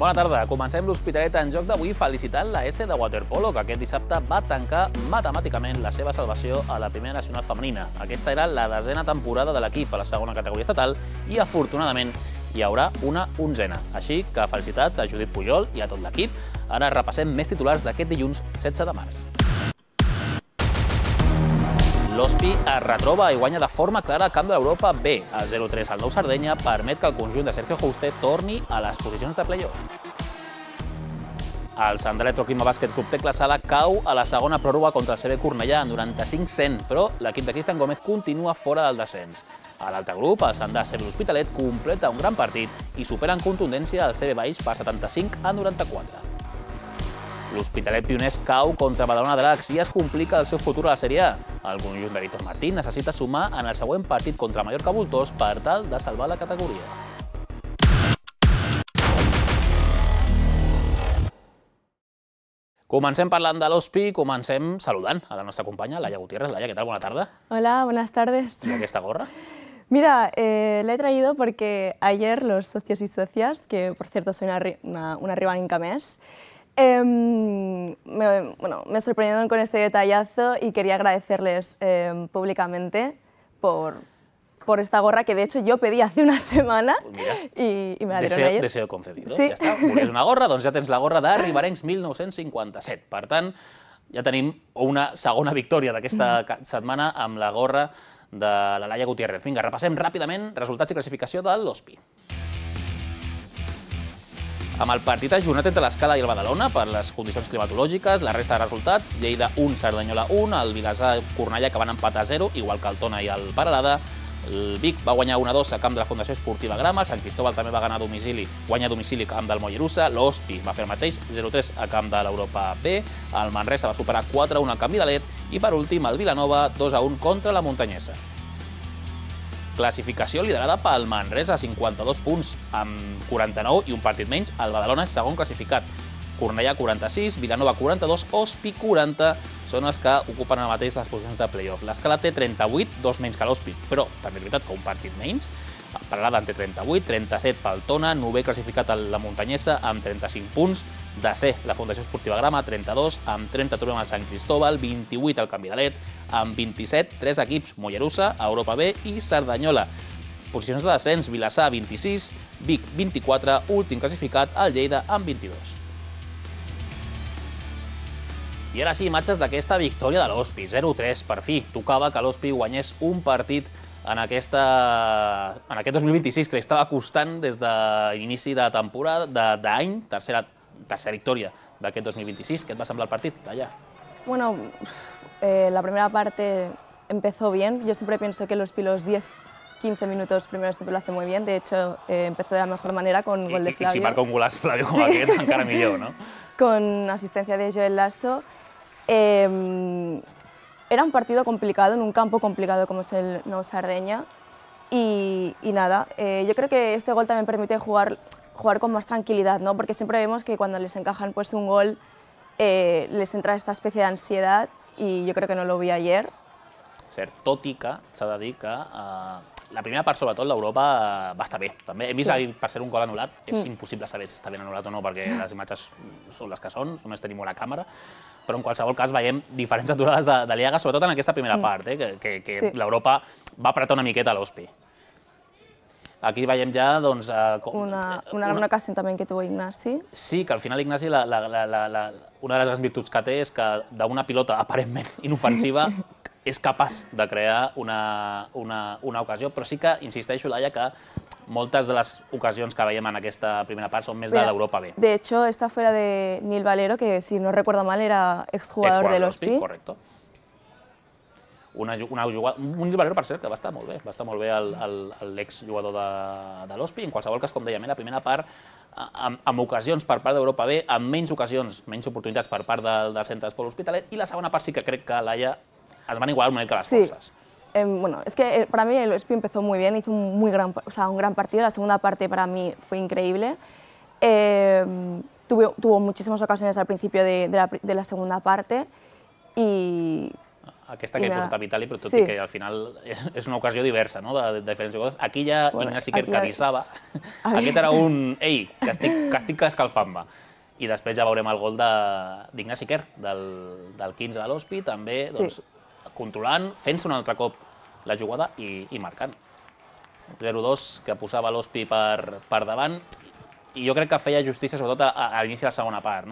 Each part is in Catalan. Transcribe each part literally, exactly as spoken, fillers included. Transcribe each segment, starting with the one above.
Bona tarda. Comencem l'Hospitalet en joc d'avui felicitant la S de waterpolo, que aquest dissabte va tancar matemàticament la seva salvació a la primera nacional femenina. Aquesta era la desena temporada de l'equip a la segona categoria estatal i, afortunadament, hi haurà una onzena. Així que felicitats a Judit Pujol i a tot l'equip. Ara repassem més titulars d'aquest dilluns setze de març. L'Hospi es retroba i guanya de forma clara al camp de l'Europa B. El zero tres al Nou Sardenya permet que el conjunt de Sergio Juste torni a les posicions de play-off. El Sant Electroquima Bàsquet Club Tecla Sala cau a la segona pròrroga contra el C B Cornellà en noranta-cinc cent, però l'equip de Cristian Gómez continua fora del descens. A l'altre grup, el Sant C B l'Hospitalet completa un gran partit i supera en contundència el C B Baix per setanta-cinc a noranta-quatre. L'Hospitalet Pioners cau contra Badalona Dracs i es complica el seu futur a la Sèrie A. El conjunt de Víctor Martín necessita sumar en el següent partit contra Mallorca Voltors per tal de salvar la categoria. Comencem parlant de l'Hospi, comencem saludant a la nostra companya, Laia Gutiérrez. Laia, ¿qué tal? Buena tarde. Hola, buenas tardes. ¿Y esta gorra? Mira, eh, la he traído porque ayer los socios y socias, que por cierto soy una, una, una ribaninca més, Eh, me, bueno, me sorprendieron con este detallazo y quería agradecerles eh, públicamente por, por esta gorra que de hecho yo pedí hace una semana pues mira, y, y me la dieron deseo, ayer. Deseo concedido. Sí. Ja està. Volies una gorra? Doncs ja tens la gorra de Riberencs mil nou-cents cinquanta-set. Per tant, ja tenim una segona victòria d'aquesta setmana amb la gorra de la Laia Gutiérrez. Vinga, repassem ràpidament resultats i classificació de l'Hospi. Amb el partit ajornat entre l'Escala i el Badalona per les condicions climatològiques, la resta de resultats, Lleida un, Cerdanyola un, el Vilassar Cornellà que van empatar a zero, igual que el Tona i el Peralada, el Vic va guanyar un a dos a camp de la Fundació Esportiva Grama, el Sant Cristóbal també va guanyar a domicili, guanya a domicili a camp del Mollerussa, l'Hospi va fer el mateix, zero tres a camp de l'Europa B, el Manresa va superar quatre a un al camp Vidalet i per últim el Vilanova dos a un contra la Muntanyesa. Classificació liderada pel Manresa, cinquanta-dos punts amb quaranta-nou i un partit menys. El Badalona és segon classificat. Cornellà quaranta-sis, Vilanova quaranta-dos, Hospi quaranta són els que ocupen ara mateix les posicions de play-off. L'Escala té trenta-vuit, dos menys que l'Hospi, però també és veritat que un partit menys. Peralada en té trenta-vuit, trenta-set pel Tona, novè classificat a la Muntanyesa amb trenta-cinc punts, desè la Fundació Esportiva Grama, trenta-dos, amb trenta trobem el Sant Cristóbal, vint-i-vuit el Camp Vidalet, amb vint-i-set, tres equips, Mollerussa, Europa B i Cerdanyola. Posicions de descens, Vilassar, vint-i-sis, Vic, vint-i-quatre, últim classificat, el Lleida, amb vint-i-dos. I ara sí, imatges d'aquesta victòria de l'Hospi, zero tres, per fi. Tocava que l'Hospi guanyés un partit en, aquesta, en aquest dos mil vint-i-sis que li estava costant des de l'inici de temporada, d'any, tercera, tercera victòria d'aquest dos mil vint-i-sis. ¿Qué te va a semblar el partido, Laia? Bueno, eh, la primera parte empezó bien. Yo siempre pienso que los los diez quince minutos primeros siempre lo hace muy bien. De hecho, eh, empezó de la mejor manera con I, gol de Flavio. I si marca un golaç Flavio com aquest, encara millor, no? Con asistencia de Joel Lasso. Eh, era un partido complicado, en un campo complicado como es el Nou Sardenya. Y, y nada, eh, yo creo que este gol también permite jugar, jugar con más tranquilidad, ¿no? Porque siempre vemos que cuando les encajan pues, un gol eh, les entra esta especie de ansiedad y yo creo que no lo vi ayer. Cert, tot i que s'ha de dir que eh, la primera part, sobretot, l'Europa va estar bé. També he vist, sí. Per ser un gol anul·lat, és mm. impossible saber si està ben anul·lat o no, perquè les imatges són les que són, només tenim una càmera, però en qualsevol cas veiem diferents aturades de, de Liaga, sobretot en aquesta primera mm. part, eh, que, que, que sí. L'Europa va apretar una miqueta a l'Hospi. Aquí veiem ja, doncs... Eh, com, una, una gran una... ocasión también que tuvo Ignasi. Sí, que al final Ignasi, la, la, la, la, la, una de les grans virtuts que té és que d'una pilota aparentment inofensiva sí. és capaç de crear una, una, una ocasió, però sí que insisteixo, Laia, que moltes de les ocasions que veiem en aquesta primera part són més de l'Europa B. De hecho, esta fue la de Nil Valero, que si no recuerdo mal era exjugador de l'Hospi. Correcto. Una, una jugada, un Nil Valero, per cert, que va estar molt bé, va estar molt bé l'exjugador de, de l'Hospi. En qualsevol cas, com dèiem, la primera part amb, amb ocasions per part d'Europa B, amb menys ocasions, menys oportunitats per part del, del Centre d'Esport Hospitalet, i la segona part sí que crec que Laia es van igualar una mica las sí. cosas. Eh, bueno, es que para mí el Hospi empezó muy bien, hizo un, muy gran, o sea, un gran partido. La segunda parte para mí fue increíble. Eh, tuvo, tuvo muchísimas ocasiones al principio de, de, la, de la segunda parte y aquesta que he posat a Vitali, però tot i que al final és una ocasió diversa, no?, de diferents jugadors. Aquí hi ha Ignasi Quer que avisava. Aquest era un, ei, que estic escalfant-me. I després ja veurem el gol d'Ignasi Quer, del quinze de l'Hospi, també controlant, fent-se un altre cop la jugada i marcant. zero dos que posava l'Hospi per davant, i jo crec que feia justícia sobretot a l'inici de la segona part.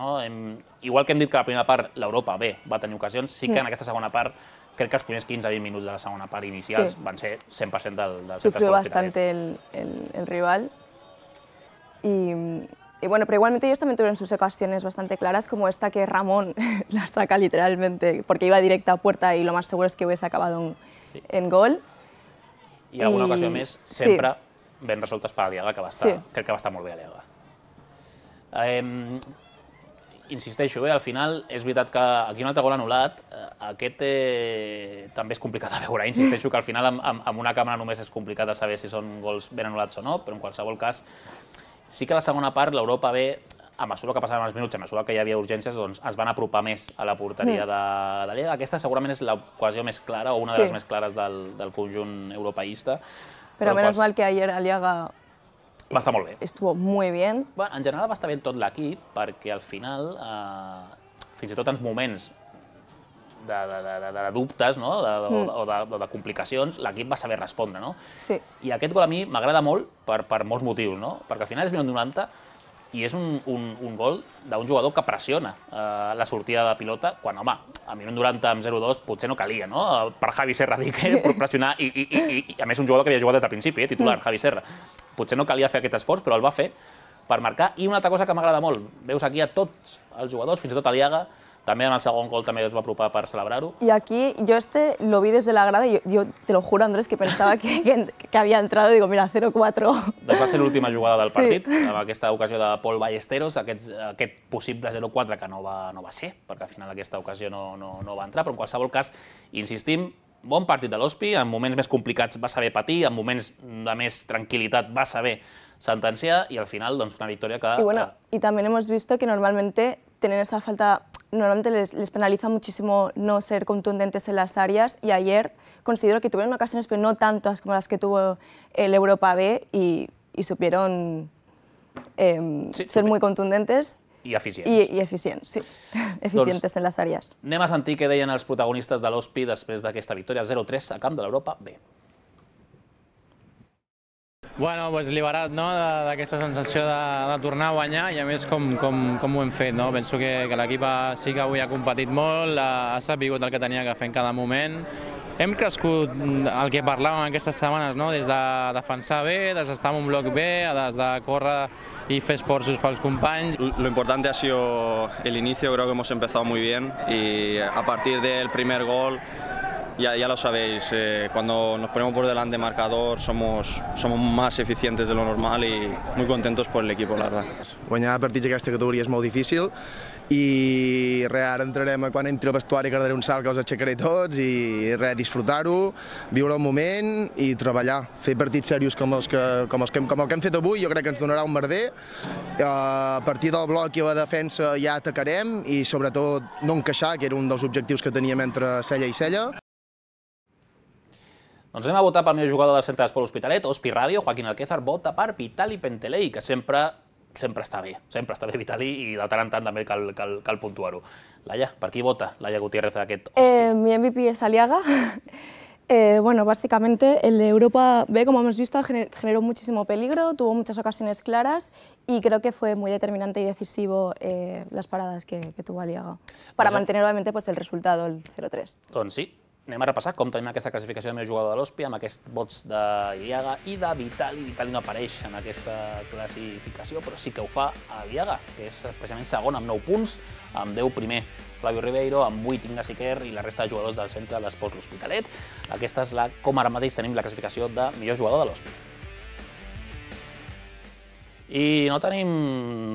Igual que hem dit que la primera part l'Europa bé va tenir ocasions, sí que en aquesta segona part crec que els primers quinze a vint minuts de la segona part inicials van ser cent per cent del centre. Sufrió bastante el rival. Y bueno, pero igualmente ellos también tuvieron sus ocasiones bastante claras, como esta que Ramón la saca literalmente, porque iba directa a puerta y lo más seguro es que hubiese acabado en gol. I alguna ocasió més, sempre ben resoltes per Aliaga, que crec que va estar molt bé Aliaga. Insisteixo, al final és veritat que aquí un altre gol anul·lat, aquest també és complicat de veure. Insisteixo que al final amb una càmera només és complicat de saber si són gols ben anul·lats o no, però en qualsevol cas sí que a la segona part l'Europa bé, a mesura que passaven els minuts, a mesura que hi havia urgències, doncs es van apropar més a la porteria de Liga. Aquesta segurament és l'ocasió més clara, o una de les més clares del conjunt europeísta. Però menos mal que ayer Aliaga va estar molt bé. Estuvo muy bien. En general va estar bé tot l'equip, perquè al final, fins i tot en moments de dubtes o de complicacions, l'equip va saber respondre. I aquest gol a mi m'agrada molt per molts motius, perquè al final és minut noranta i és un gol d'un jugador que pressiona la sortida de pilota, quan, home, a minut noranta amb zero dos potser no calia, no?, per Javi Serra dir que pressionar, i a més un jugador que havia jugat des del principi, titular, Javi Serra. Potser no calia fer aquest esforç, però el va fer per marcar. I una altra cosa que m'agrada molt, veus aquí a tots els jugadors, fins i tot Aliaga, també en el segon gol també es va apropar per celebrar-ho. Y aquí yo este lo vi desde la grada y yo te lo juro, Andrés, que pensaba que había entrado, digo, mira, cero cuatro. Va ser l'última jugada del partit, amb aquesta ocasió de Pol Ballesteros, aquest possible zero quatre que no va ser, perquè al final aquesta ocasió no va entrar, però en qualsevol cas, insistim, bon partit de l'Hospi, en moments més complicats va saber patir, en moments de més tranquil·litat va saber sentenciar, y al final, doncs, una victòria que... Y bueno, y también hemos visto que normalmente tienen esa falta... Normalmente les, les penaliza muchísimo no ser contundentes en las áreas, y ayer considero que tuvieron ocasiones, pero no tantas como las que tuvo el Europa B, y, y supieron eh, sí, ser muy contundentes i eficients. I, i eficients, sí. Eficientes doncs, en les àrees. Anem a sentir què deien els protagonistes de l'Hospi després d'aquesta victòria zero tres a camp de l'Europa B. Bueno, pues liberat d'aquesta sensació de tornar a guanyar, i a més com ho hem fet. Penso que l'equip sí que avui ha competit molt, ha sabut el que tenia que fer en cada moment. Hem crescut el que parlàvem aquestes setmanes, des de defensar bé, des d'estar en un bloc bé, des de córrer y fer esfuerzos para los compañeros. Lo importante ha sido el inicio, creo que hemos empezado muy bien, y a partir del primer gol, ya, ya lo sabéis, eh, cuando nos ponemos por delante de marcador somos, somos más eficientes de lo normal i muy contentos por el equipo, la verdad. Guanyar partits d'aquesta categoria és molt difícil i res, ara entrarem, quan entri al vestuari que daré un salt que els aixecaré tots i res, disfrutar-ho, viure el moment i treballar, fer partits serios com, els que, com, els que, com el que hem fet avui. Jo crec que ens donarà un merder. A partir del bloc i la defensa ja atacarem i sobretot no encaixar, que era un dels objectius que teníem entre cella i cella. Doncs anem a votar pel millor jugador del centre d'esport L'Hospitalet, Hospi Ràdio. Joaquín Alquézar vota per Vitali Pentelei, que sempre sempre està bé, sempre està bé Vitali, i de tant en tant també cal, cal, cal puntuar-ho. Laia, per qui vota Laia Gutiérrez d'aquest Hospi? Eh, mi M V P es Aliaga. Eh, bueno, básicamente el Europa B, como hemos visto, gener generó muchísimo peligro, tuvo muchas ocasiones claras y creo que fue muy determinante y decisivo eh, las paradas que, que tuvo Aliaga para pues, mantener obviamente pues, el resultado, el cero tres. Doncs sí. Anem a repassar com tenim aquesta classificació del meu jugador de l'Hospi amb aquests vots d'Aliaga i de Vitali. Vitali no apareix en aquesta classificació, però sí que ho fa Aliaga, que és precisament segon amb nou punts, amb deu primer Flavio Ribeiro, amb vuit Ignasi Quer i la resta de jugadors del centre d'esports L'Hospitalet. Aquesta és la, com ara mateix tenim la classificació de millor jugador de l'Hospi. I no tenim,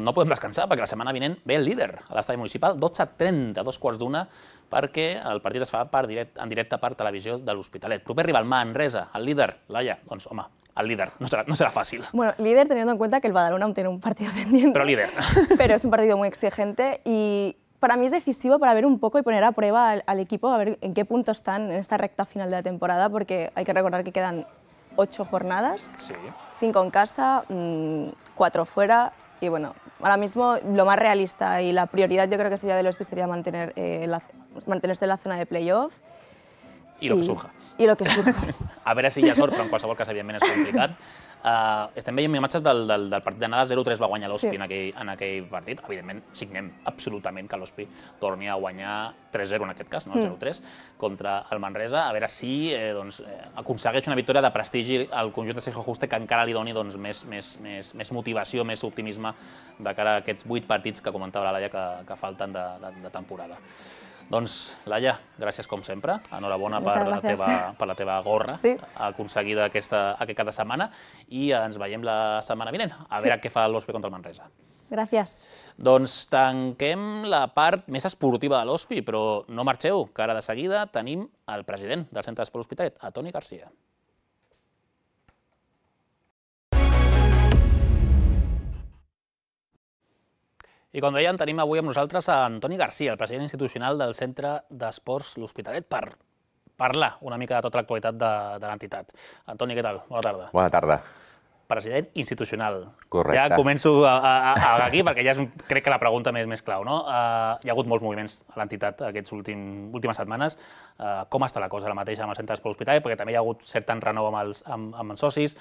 no podem descansar perquè la setmana vinent ve el líder a l'estadi municipal, dotze trenta, dos quarts d'una, perquè el partit es fa per direct, en directe per televisió de l'Hospitalet. Proper rival, Manresa, el líder, Laia, doncs home, el líder, no será, no será fácil. Bueno, líder teniendo en cuenta que el Badalona aún tiene un partido pendiente. Pero líder. Pero es un partido muy exigente y para mí es decisivo para ver un poco y poner a prueba al, al equipo, a ver en qué punto están en esta recta final de la temporada, porque hay que recordar que quedan ocho jornadas, Sí. cinco en casa, mmm, cuatro fuera, y bueno, ahora mismo lo más realista y la prioridad yo creo que sería de los sería mantener, eh, la, mantenerse en la zona de playoff. I lo que surja. I lo que surja. A veure si hi ha sort, però en qualsevol cas, evidentment, és complicat. Uh, estem veient imatges del, del, del partit d'anada, zero tres va guanyar l'Hospi Sí. en, aquell, en aquell partit. Evidentment, signem absolutament que l'Hospi torni a guanyar tres zero en aquest cas, no el zero tres, contra el Manresa. A veure si eh, doncs, eh, aconsegueix una victòria de prestigi al conjunt de Sergio Juste que encara li doni doncs, més, més, més, més motivació, més optimisme de cara a aquests vuit partits que comentava la Laia que, que falten de, de, de temporada. Doncs, Laia, gràcies com sempre. Enhorabona per la, teva, per la teva gorra sí. aconseguida aquesta, aquest cada setmana i ens veiem la setmana vinent, a sí. veure què fa l'Hospi contra el Manresa. Gràcies. Doncs tanquem la part més esportiva de l'Hospi, però no marxeu, que ara de seguida tenim el president del Centre d'Esport Hospitalet, a Toni Garcia. I com dèiem, tenim avui amb nosaltres a Antoni Garcia, el president institucional del Centre d'Esports L'Hospitalet, per parlar una mica de tota l'actualitat de, de l'entitat. Antoni, què tal? Bona tarda. Bona tarda. President institucional. Correcte. Ja començo a, a, a aquí, perquè ja és, crec que la pregunta més, més clau. No? Uh, hi ha hagut molts moviments a l'entitat aquestes últim, últimes setmanes. Uh, com està la cosa ara mateix amb el Centre d'Esport L'Hospitalet? Perquè també hi ha hagut cert renou amb els, amb, amb els socis.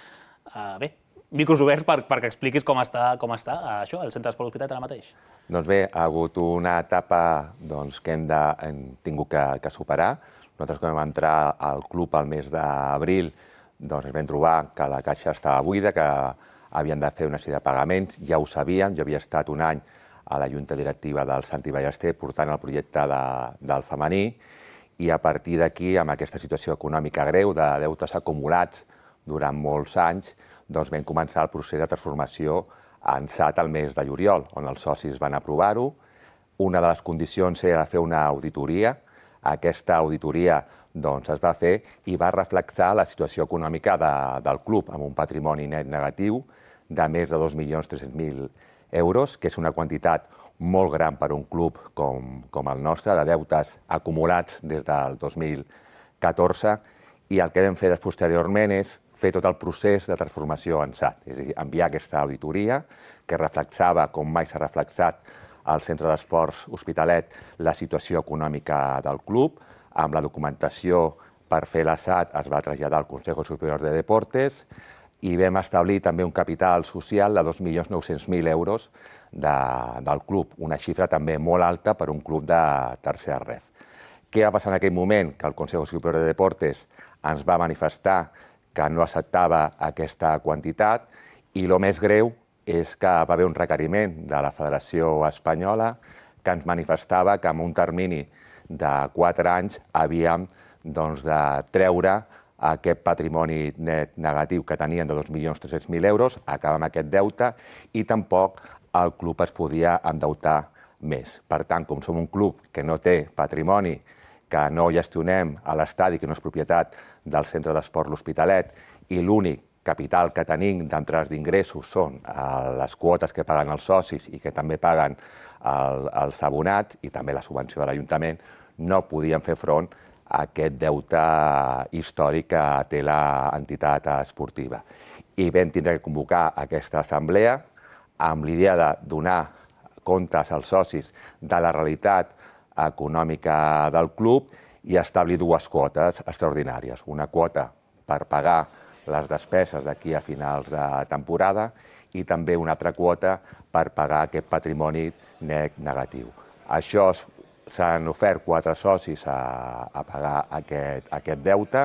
Uh, bé, micros oberts per, perquè expliquis com està, com està uh, això, el Centre d'Esport L'Hospitalet ara mateix. Doncs bé, ha hagut una etapa doncs, que hem, de, hem tingut que, que superar. Nosaltres, quan vam entrar al club al mes d'abril, doncs vam trobar que la caixa estava buida, que havien de fer una sèrie de pagaments. Ja ho sabíem, jo havia estat un any a la junta directiva del Santi Ballester portant el projecte de, del femení i a partir d'aquí, amb aquesta situació econòmica greu de deutes acumulats durant molts anys, doncs vam començar el procés de transformació en S A T al mes de juliol, on els socis van aprovar-ho. Una de les condicions era fer una auditoria. Aquesta auditoria doncs, es va fer i va reflexar la situació econòmica de, del club, amb un patrimoni net negatiu de més de dos milions tres-cents mil euros, que és una quantitat molt gran per a un club com, com el nostre, de deutes acumulats des del dos mil catorze, i el que vam fer posteriorment és fer tot el procés de transformació en S A T, és a dir, enviar aquesta auditoria que reflexava, com mai s'ha reflexat al Centre d'Esports Hospitalet, la situació econòmica del club. Amb la documentació per fer la S A T es va traslladar al Consejo Superior de Deportes i vam establir també un capital social de dos milions nou-cents mil euros de, del club, una xifra també molt alta per a un club de tercera ref. Què va passar en aquell moment? Que el Consejo Superior de Deportes ens va manifestar que no acceptava aquesta quantitat i el més greu és que va haver un requeriment de la Federació Espanyola que ens manifestava que en un termini de quatre anys havíem doncs, de treure aquest patrimoni net negatiu que tenien de dos milions tres-cents mil euros, acabar amb aquest deute i tampoc el club es podia endeutar més. Per tant, com som un club que no té patrimoni, que no gestionem a l'estadi, que no és propietat del Centre d'Esport L'Hospitalet, i l'únic capital que tenim d'entrades d'ingressos són les quotes que paguen els socis i que també paguen el, els abonats i també la subvenció de l'Ajuntament, no podien fer front a aquest deute històric que té l'entitat esportiva. I vam tindre que convocar aquesta assemblea amb l'idea de donar comptes als socis de la realitat econòmica del club i establir dues quotes extraordinàries. Una quota per pagar les despeses d'aquí a finals de temporada i també una altra quota per pagar aquest patrimoni net negatiu. Això s'han ofert quatre socis a, a pagar aquest, aquest deute.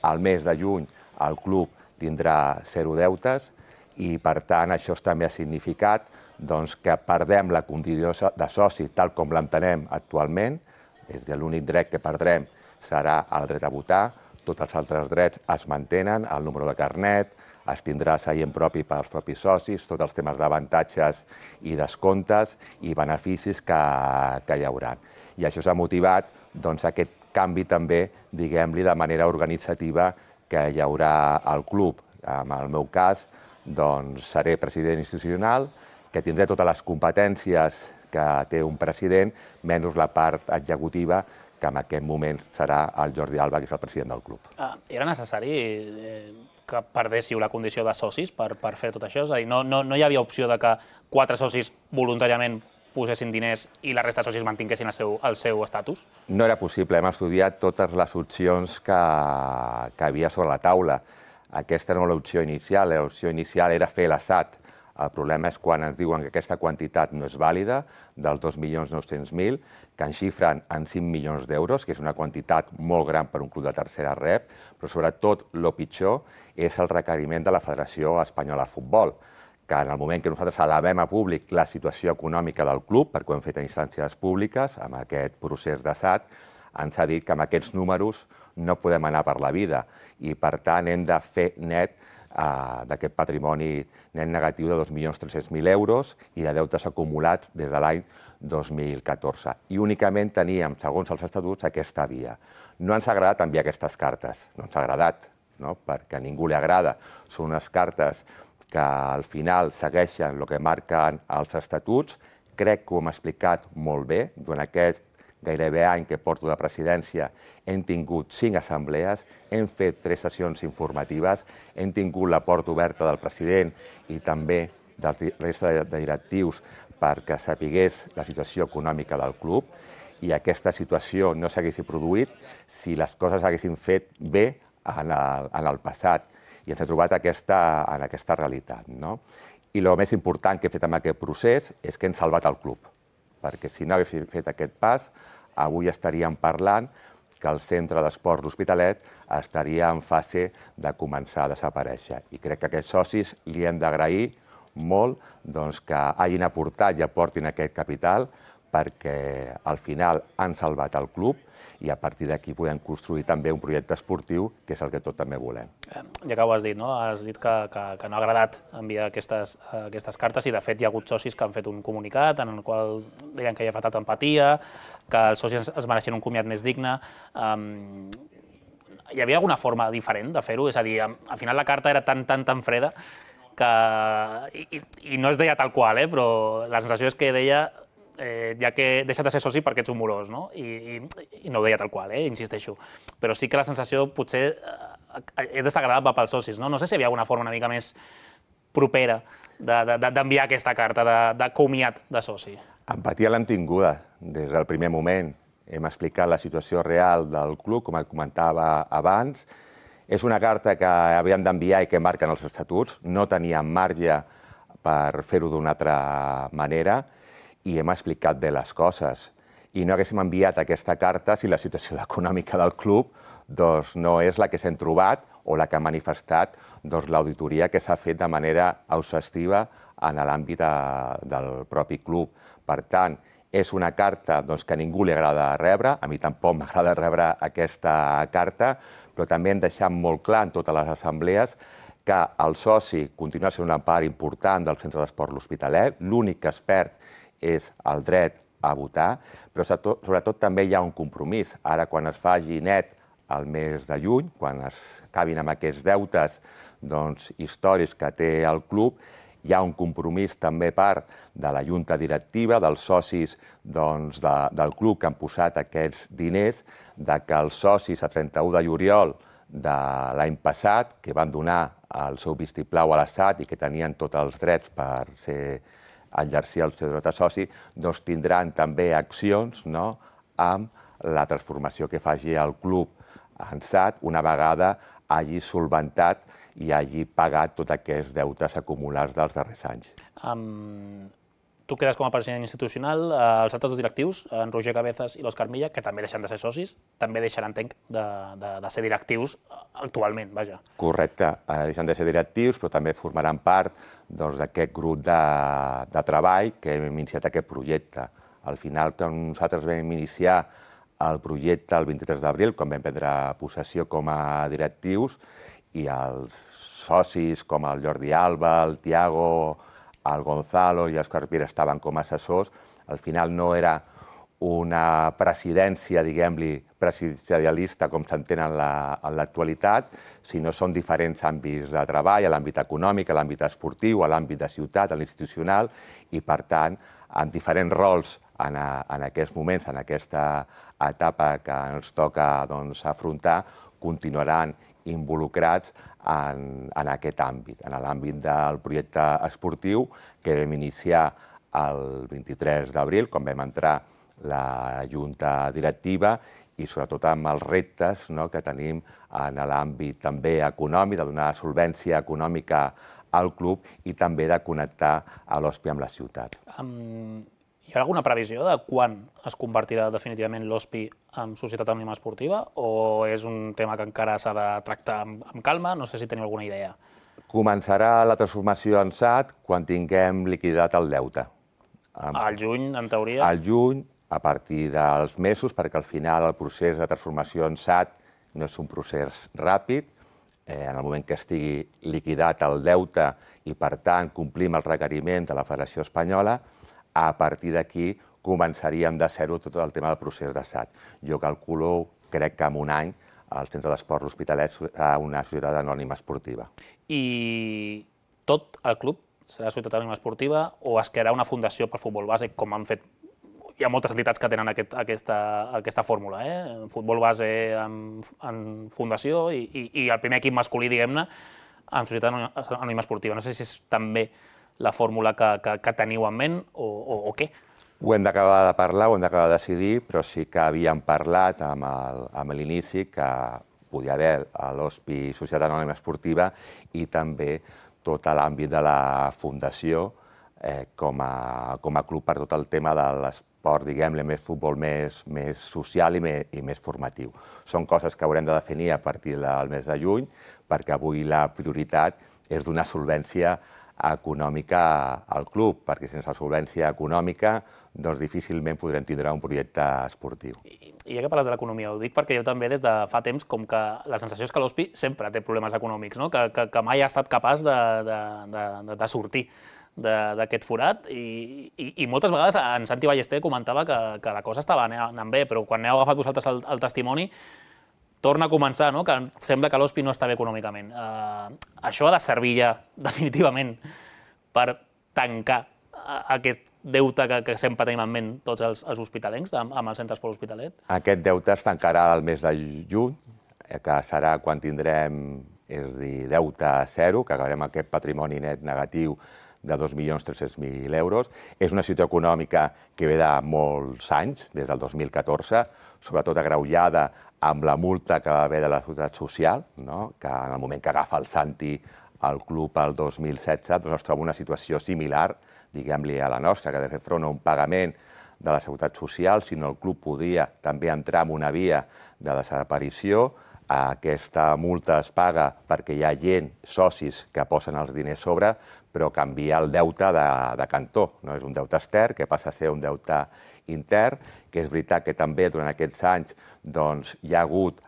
Al mes de juny el club tindrà zero deutes i, per tant, això també ha significat doncs, que perdem la condició de soci tal com l'entenem actualment, és a dir, l'únic dret que perdrem serà el dret a votar, tots els altres drets es mantenen, el número de carnet, es tindrà seient propi pels propis socis, tots els temes d'avantatges i descomptes i beneficis que, que hi haurà. I això s'ha motivat doncs, aquest canvi també, diguem-li, de manera organitzativa que hi haurà al club. En el meu cas, doncs, seré president institucional, que tindré totes les competències que té un president, menys la part executiva, que en aquest moment serà el Jordi Alba, que és el president del club. Era necessari que perdéssiu la condició de socis per fer tot això? És a dir, no hi havia opció de que quatre socis voluntàriament posessin diners i la resta de socis mantinguessin el seu estatus? No era possible. Hem estudiat totes les opcions que havia sobre la taula. Aquesta no era l'opció inicial. L'opció inicial era fer l'assat. El problema és quan ens diuen que aquesta quantitat no és vàlida, dels dos milions nou-cents mil, que en xifren en cinc milions d'euros, que és una quantitat molt gran per un club de tercera ref, però sobretot el pitjor és el requeriment de la Federació Espanyola de Futbol, que en el moment que nosaltres elevem a públic la situació econòmica del club, perquè ho hem fet a instàncies públiques, amb aquest procés d'assat, ens ha dit que amb aquests números no podem anar per la vida i, per tant, hem de fer net d'aquest patrimoni net negatiu de dos milions tres-cents mil euros i de deutes acumulats des de l'any dos mil catorze. I únicament teníem, segons els estatuts, aquesta via. No ens ha agradat enviar aquestes cartes, no ens ha agradat, perquè a ningú li agrada. Són unes cartes que al final segueixen el que marquen els estatuts. Crec que ho hem explicat molt bé. Durant aquest gairebé any que porto de presidència hem tingut cinc assemblees, hem fet tres sessions informatives, hem tingut la porta oberta del president i també de la resta de directius perquè sapigués la situació econòmica del club i aquesta situació no s'hagués produït si les coses s'haguessin fet bé en el passat i ens hem trobat en aquesta realitat. I el més important que he fet amb aquest procés és que hem salvat el club, perquè si no haguéssim fet aquest pas, avui estaríem parlant que el centre d'esports l'Hospitalet estaria en fase de començar a desaparèixer. I crec que aquests socis li hem d'agrair molt que hagin aportat i aportin aquest capital perquè al final han salvat el club i a partir d'aquí podem construir també un projecte esportiu, que és el que tot també volem. Ja que ho has dit, no? Has dit que no ha agradat enviar aquestes cartes i, de fet, hi ha hagut socis que han fet un comunicat en el qual deien que hi ha faltat empatia, que els socis es mereixen un comiat més digne. Hi havia alguna forma diferent de fer-ho? És a dir, al final la carta era tan, tan, tan freda que... I no es deia tal qual, però la sensació és que deia ja que deixa't de ser soci perquè ets un morós, no? I no ho deia tal qual, insisteixo. Però sí que la sensació potser és desagradable pels socis, no? No sé si hi havia alguna forma una mica més propera d'enviar aquesta carta de comiat de soci. Empatia l'hem tinguda des del primer moment. Hem explicat la situació real del club, com et comentava abans. És una carta que havíem d'enviar i que marquen els estatuts. No teníem marge per fer-ho d'una altra manera i hem explicat bé les coses. I no haguéssim enviat aquesta carta si la situació econòmica del club no és la que s'hem trobat o la que ha manifestat l'auditoria que s'ha fet de manera exhaustiva en l'àmbit del propi club. Per tant, és una carta que a ningú li agrada rebre, a mi tampoc m'agrada rebre aquesta carta, però també hem deixat molt clar en totes les assemblees que el soci continua sent una part important del centre d'esport l'Hospitalet, l'únic que es perd és el dret a votar, però sobretot també hi ha un compromís. Ara, quan es faci net el mes de juny, quan es acabin amb aquests deutes històrics que té el club, hi ha un compromís també part de la junta directiva, dels socis del club que han posat aquests diners, que els socis a trenta-u de juliol de l'any passat, que van donar el seu vistiplau a l'assat i que tenien tots els drets per exercir el seu dret a soci, doncs tindran també accions amb la transformació que faci el club en S A T una vegada hagi solventat i hagi pagat tots aquests deutes acumulats dels darrers anys. Tu quedes com a president institucional, els altres dos directius, en Roger Cabezas i l'Òscar Milla, que també deixen de ser socis, també deixaran, entenc, de ser directius actualment, vaja. Correcte, deixen de ser directius, però també formaran part d'aquest grup de treball que hem iniciat aquest projecte. Al final, quan nosaltres vam iniciar el projecte el vint-i-tres d'abril, quan vam prendre possessió com a directius, i els socis com el Jordi Alba, el Tiago, el Gonzalo i l'Òscar Pira estaven com a assessors, al final no era una presidència, diguem-li, presidencialista com s'entén en l'actualitat, sinó són diferents àmbits de treball, a l'àmbit econòmic, a l'àmbit esportiu, a l'àmbit de ciutat, a l'institucional, i per tant en diferents rols en, a, en aquests moments, en aquesta etapa que ens toca doncs, afrontar, continuaran involucrats en, en aquest àmbit, en l'àmbit del projecte esportiu que vam iniciar el vint-i-tres d'abril, quan vam entrar la Junta Directiva, i sobretot amb els reptes no, que tenim en l'àmbit també econòmic, de donar solvència econòmica al club i també de connectar a l'O S P I amb la ciutat. Um, hi ha alguna previsió de quan es convertirà definitivament l'O S P I en societat anònima esportiva o és un tema que encara s'ha de tractar amb, amb calma? No sé si teniu alguna idea. Començarà la transformació en S A T quan tinguem liquidat el deute. Al juny, en teoria? Al juny, a partir dels mesos, perquè al final el procés de transformació en S A T no és un procés ràpid. Eh, en el moment que estigui liquidat el deute i, per tant, complim el requeriment de la Federació Espanyola, a partir d'aquí començaríem de zero tot el tema del procés de S A T. Jo calculo, crec que en un any, el Centre d'Esport L'Hospitalet serà una societat anònima esportiva. I tot el club serà societat anònima esportiva o es crearà una fundació per futbol base, com han fet? Hi ha moltes entitats que tenen aquest, aquesta, aquesta fórmula, eh? Futbol base en, en fundació i, i, i el primer equip masculí, diguem-ne, en societat anònima esportiva. No sé si és també la fórmula que, que, que teniu en ment o, o, o què. Ho hem d'acabar de parlar, ho hem d'acabar de decidir, però sí que havíem parlat amb l'inici que podia haver l'O S P I Societat Anònima Esportiva i també tot l'àmbit de la fundació eh, com, a, com a club per tot el tema de l'esport, diguem-ne, més futbol més, més social i més, i més formatiu. Són coses que haurem de definir a partir del mes de juny, perquè avui la prioritat és donar solvència econòmica al club, perquè sense solvència econòmica doncs difícilment podrem tindre un projecte esportiu. I, i ja que parles de l'economia, ho dic perquè jo també des de fa temps com que la sensació és que l'O S P I sempre té problemes econòmics, no? que, que, que mai ha estat capaç de, de, de, de sortir d'aquest forat i, i, i moltes vegades en Santi Ballester comentava que, que la cosa estava anant bé, però quan heu agafat vosaltres el, el testimoni torna a començar, no? que sembla que l'O S P I no està bé econòmicament. Uh, això ha de servir ja definitivament per tancar aquest deute que, que sempre tenim en ment tots els, els hospitalencs amb, amb el Centre d'Esport L'Hospitalet? Aquest deute es tancarà el mes de juny, que serà quan tindrem, és a dir, deute zero, que acabarem aquest patrimoni net negatiu de dos milions tres-cents mil euros. És una situació econòmica que ve de molts anys, des del dos mil catorze, sobretot agreujada amb la multa que va haver de la Seguretat Social, no? que en el moment que agafa el Santi al club el dos mil setze, doncs es troba una situació similar, diguem-li, a la nostra, que ha de fer front a un pagament de la Seguretat Social, sinó el club podia també entrar en una via de desaparició. Aquesta multa es paga perquè hi ha gent, socis, que posen els diners sobre, però canvia el deute de, de cantó. No és un deute extern, que passa a ser un deute intern, que és veritat que també durant aquests anys doncs, hi ha hagut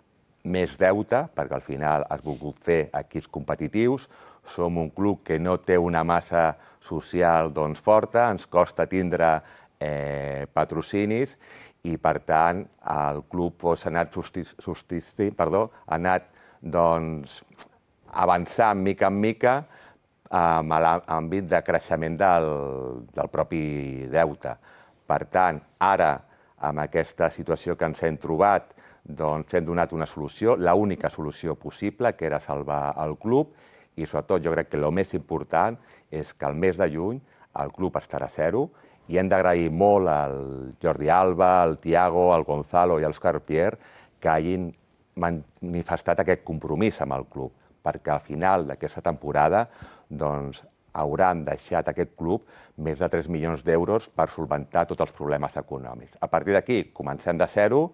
més deute, perquè al final has volgut fer equips competitius. Som un club que no té una massa social doncs, forta, ens costa tindre eh, patrocinis, i, per tant, el club ha anat, subsistint, perdó, ha anat doncs, avançant mica en mica en l'àmbit de creixement del, del propi deute. Per tant, ara, amb aquesta situació que ens hem trobat, doncs hem donat una solució, l'única solució possible, que era salvar el club, i sobretot jo crec que el més important és que el mes de juny el club estarà a zero, i hem d'agrair molt al Jordi Alba, al Tiago, al Gonzalo i al Òscar Pierre que hagin manifestat aquest compromís amb el club, perquè al final d'aquesta temporada doncs, hauran deixat aquest club més de tres milions d'euros per solventar tots els problemes econòmics. A partir d'aquí comencem de zero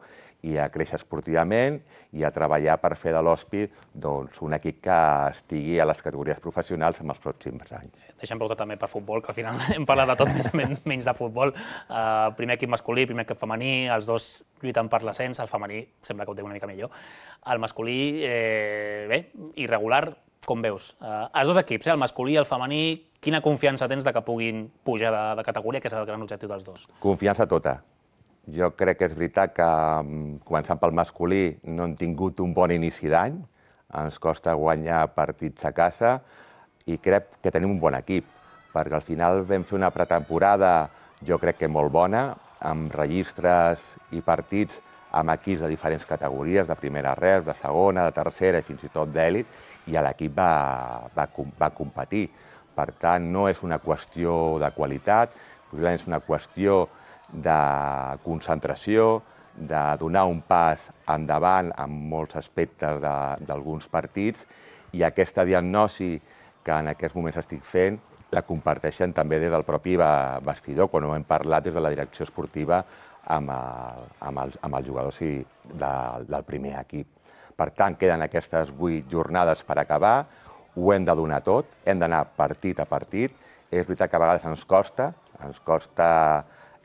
i a créixer esportivament i a treballar per fer de l'O S P I doncs, un equip que estigui a les categories professionals en els pròxims anys. Deixem preguntar també per futbol, que al final hem parlat de tot menys, menys de futbol. Uh, primer equip masculí, primer equip femení, els dos lluiten per l'ascens, el femení sembla que ho té una mica millor. El masculí, eh, bé, irregular, com veus? Uh, els dos equips, eh, el masculí i el femení, quina confiança tens de que puguin pujar de, de categoria, que és el gran objectiu dels dos? Confiança tota. Jo crec que és veritat que, començant pel masculí, no hem tingut un bon inici d'any, ens costa guanyar partits a casa i crec que tenim un bon equip, perquè al final vam fer una pretemporada jo crec que molt bona, amb registres i partits amb equips de diferents categories, de primera reus, de segona, de tercera i fins i tot d'èlit, i l'equip va, va, va competir. Per tant, no és una qüestió de qualitat, és una qüestió de concentració, de donar un pas endavant en molts aspectes d'alguns partits, i aquesta diagnosi que en aquests moments estic fent la comparteixen també des del propi vestidor, quan ho hem parlat des de la direcció esportiva amb, el, amb, els, amb els jugadors de, del primer equip. Per tant, queden aquestes vuit jornades per acabar, ho hem de donar tot, hem d'anar partit a partit. És veritat que a vegades ens costa, ens costa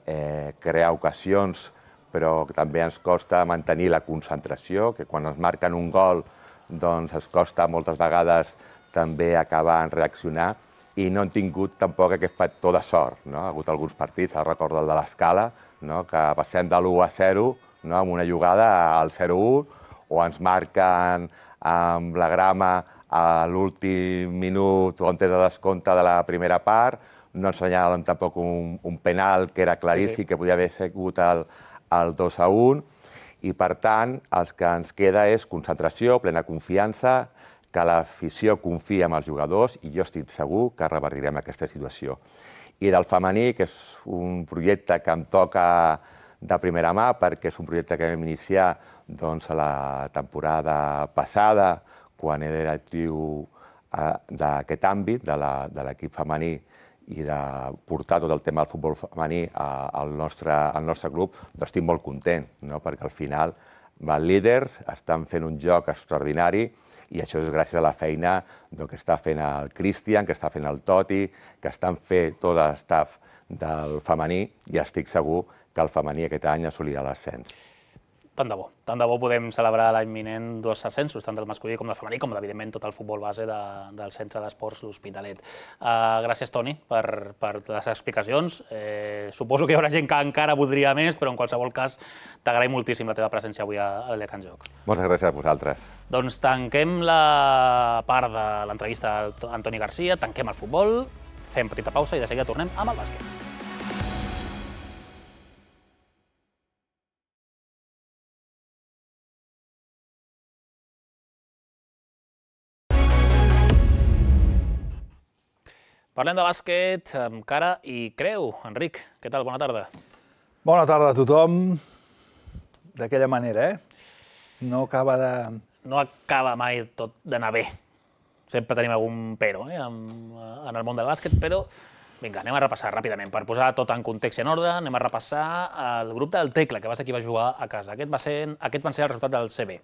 eh, crear ocasions, però també ens costa mantenir la concentració, que quan ens marquen un gol doncs ens costa moltes vegades també acabar en reaccionar, i no hem tingut tampoc aquest factor de sort. No? Ha hagut alguns partits, ara recordo el de l'Escala, no? Que passem de l'u a zero, no? Amb una jugada al zero a u, o ens marquen amb la grama a l'últim minut o en temps de descompte de la primera part, no ens senyalen tampoc un, un penal que era claríssim, sí, sí. Que podia haver sigut el, el dos a un, i per tant el que ens queda és concentració, plena confiança, que l'afició confia en els jugadors, i jo estic segur que revertirem aquesta situació. I del femení, que és un projecte que em toca de primera mà, perquè és un projecte que vam iniciar doncs, a la temporada passada, quan era directiu d'aquest àmbit, de l'equip femení, i de portar tot el tema del futbol femení al nostre, al nostre club, doncs estic molt content, no? Perquè al final van líders, estan fent un joc extraordinari, i això és gràcies a la feina que està fent el Cristian, que està fent el Toti, que estan fent tot l'estaf del femení, i estic segur que el femení aquest any assolirà l'ascens. Tant de bo. Tant de bo podem celebrar l'any vinent dos ascensos, tant del masculí com del femení, com evidentment tot el futbol base de, del Centre d'Esports L'Hospitalet. Uh, gràcies, Toni, per, per les explicacions. Eh, suposo que hi haurà gent que encara voldria més, però en qualsevol cas t'agraïm moltíssim la teva presència avui a l'E C A en Joc. Moltes gràcies a vosaltres. Doncs tanquem la part de l'entrevista a Antoni Garcia, tanquem el futbol, fem petita pausa i de seguida tornem amb el bàsquet. Parlem de bàsquet amb cara i creu. Enric, què tal? Bona tarda. Bona tarda a tothom. D'aquella manera, eh? No acaba de... No acaba mai tot d'anar bé. Sempre tenim algun pero eh? en, en el món del bàsquet, però vinga, anem a repassar ràpidament. Per posar tot en context i en ordre, anem a repassar el grup del Tecla, que va ser qui va jugar a casa. Aquest va ser, aquest van ser el resultat del C B.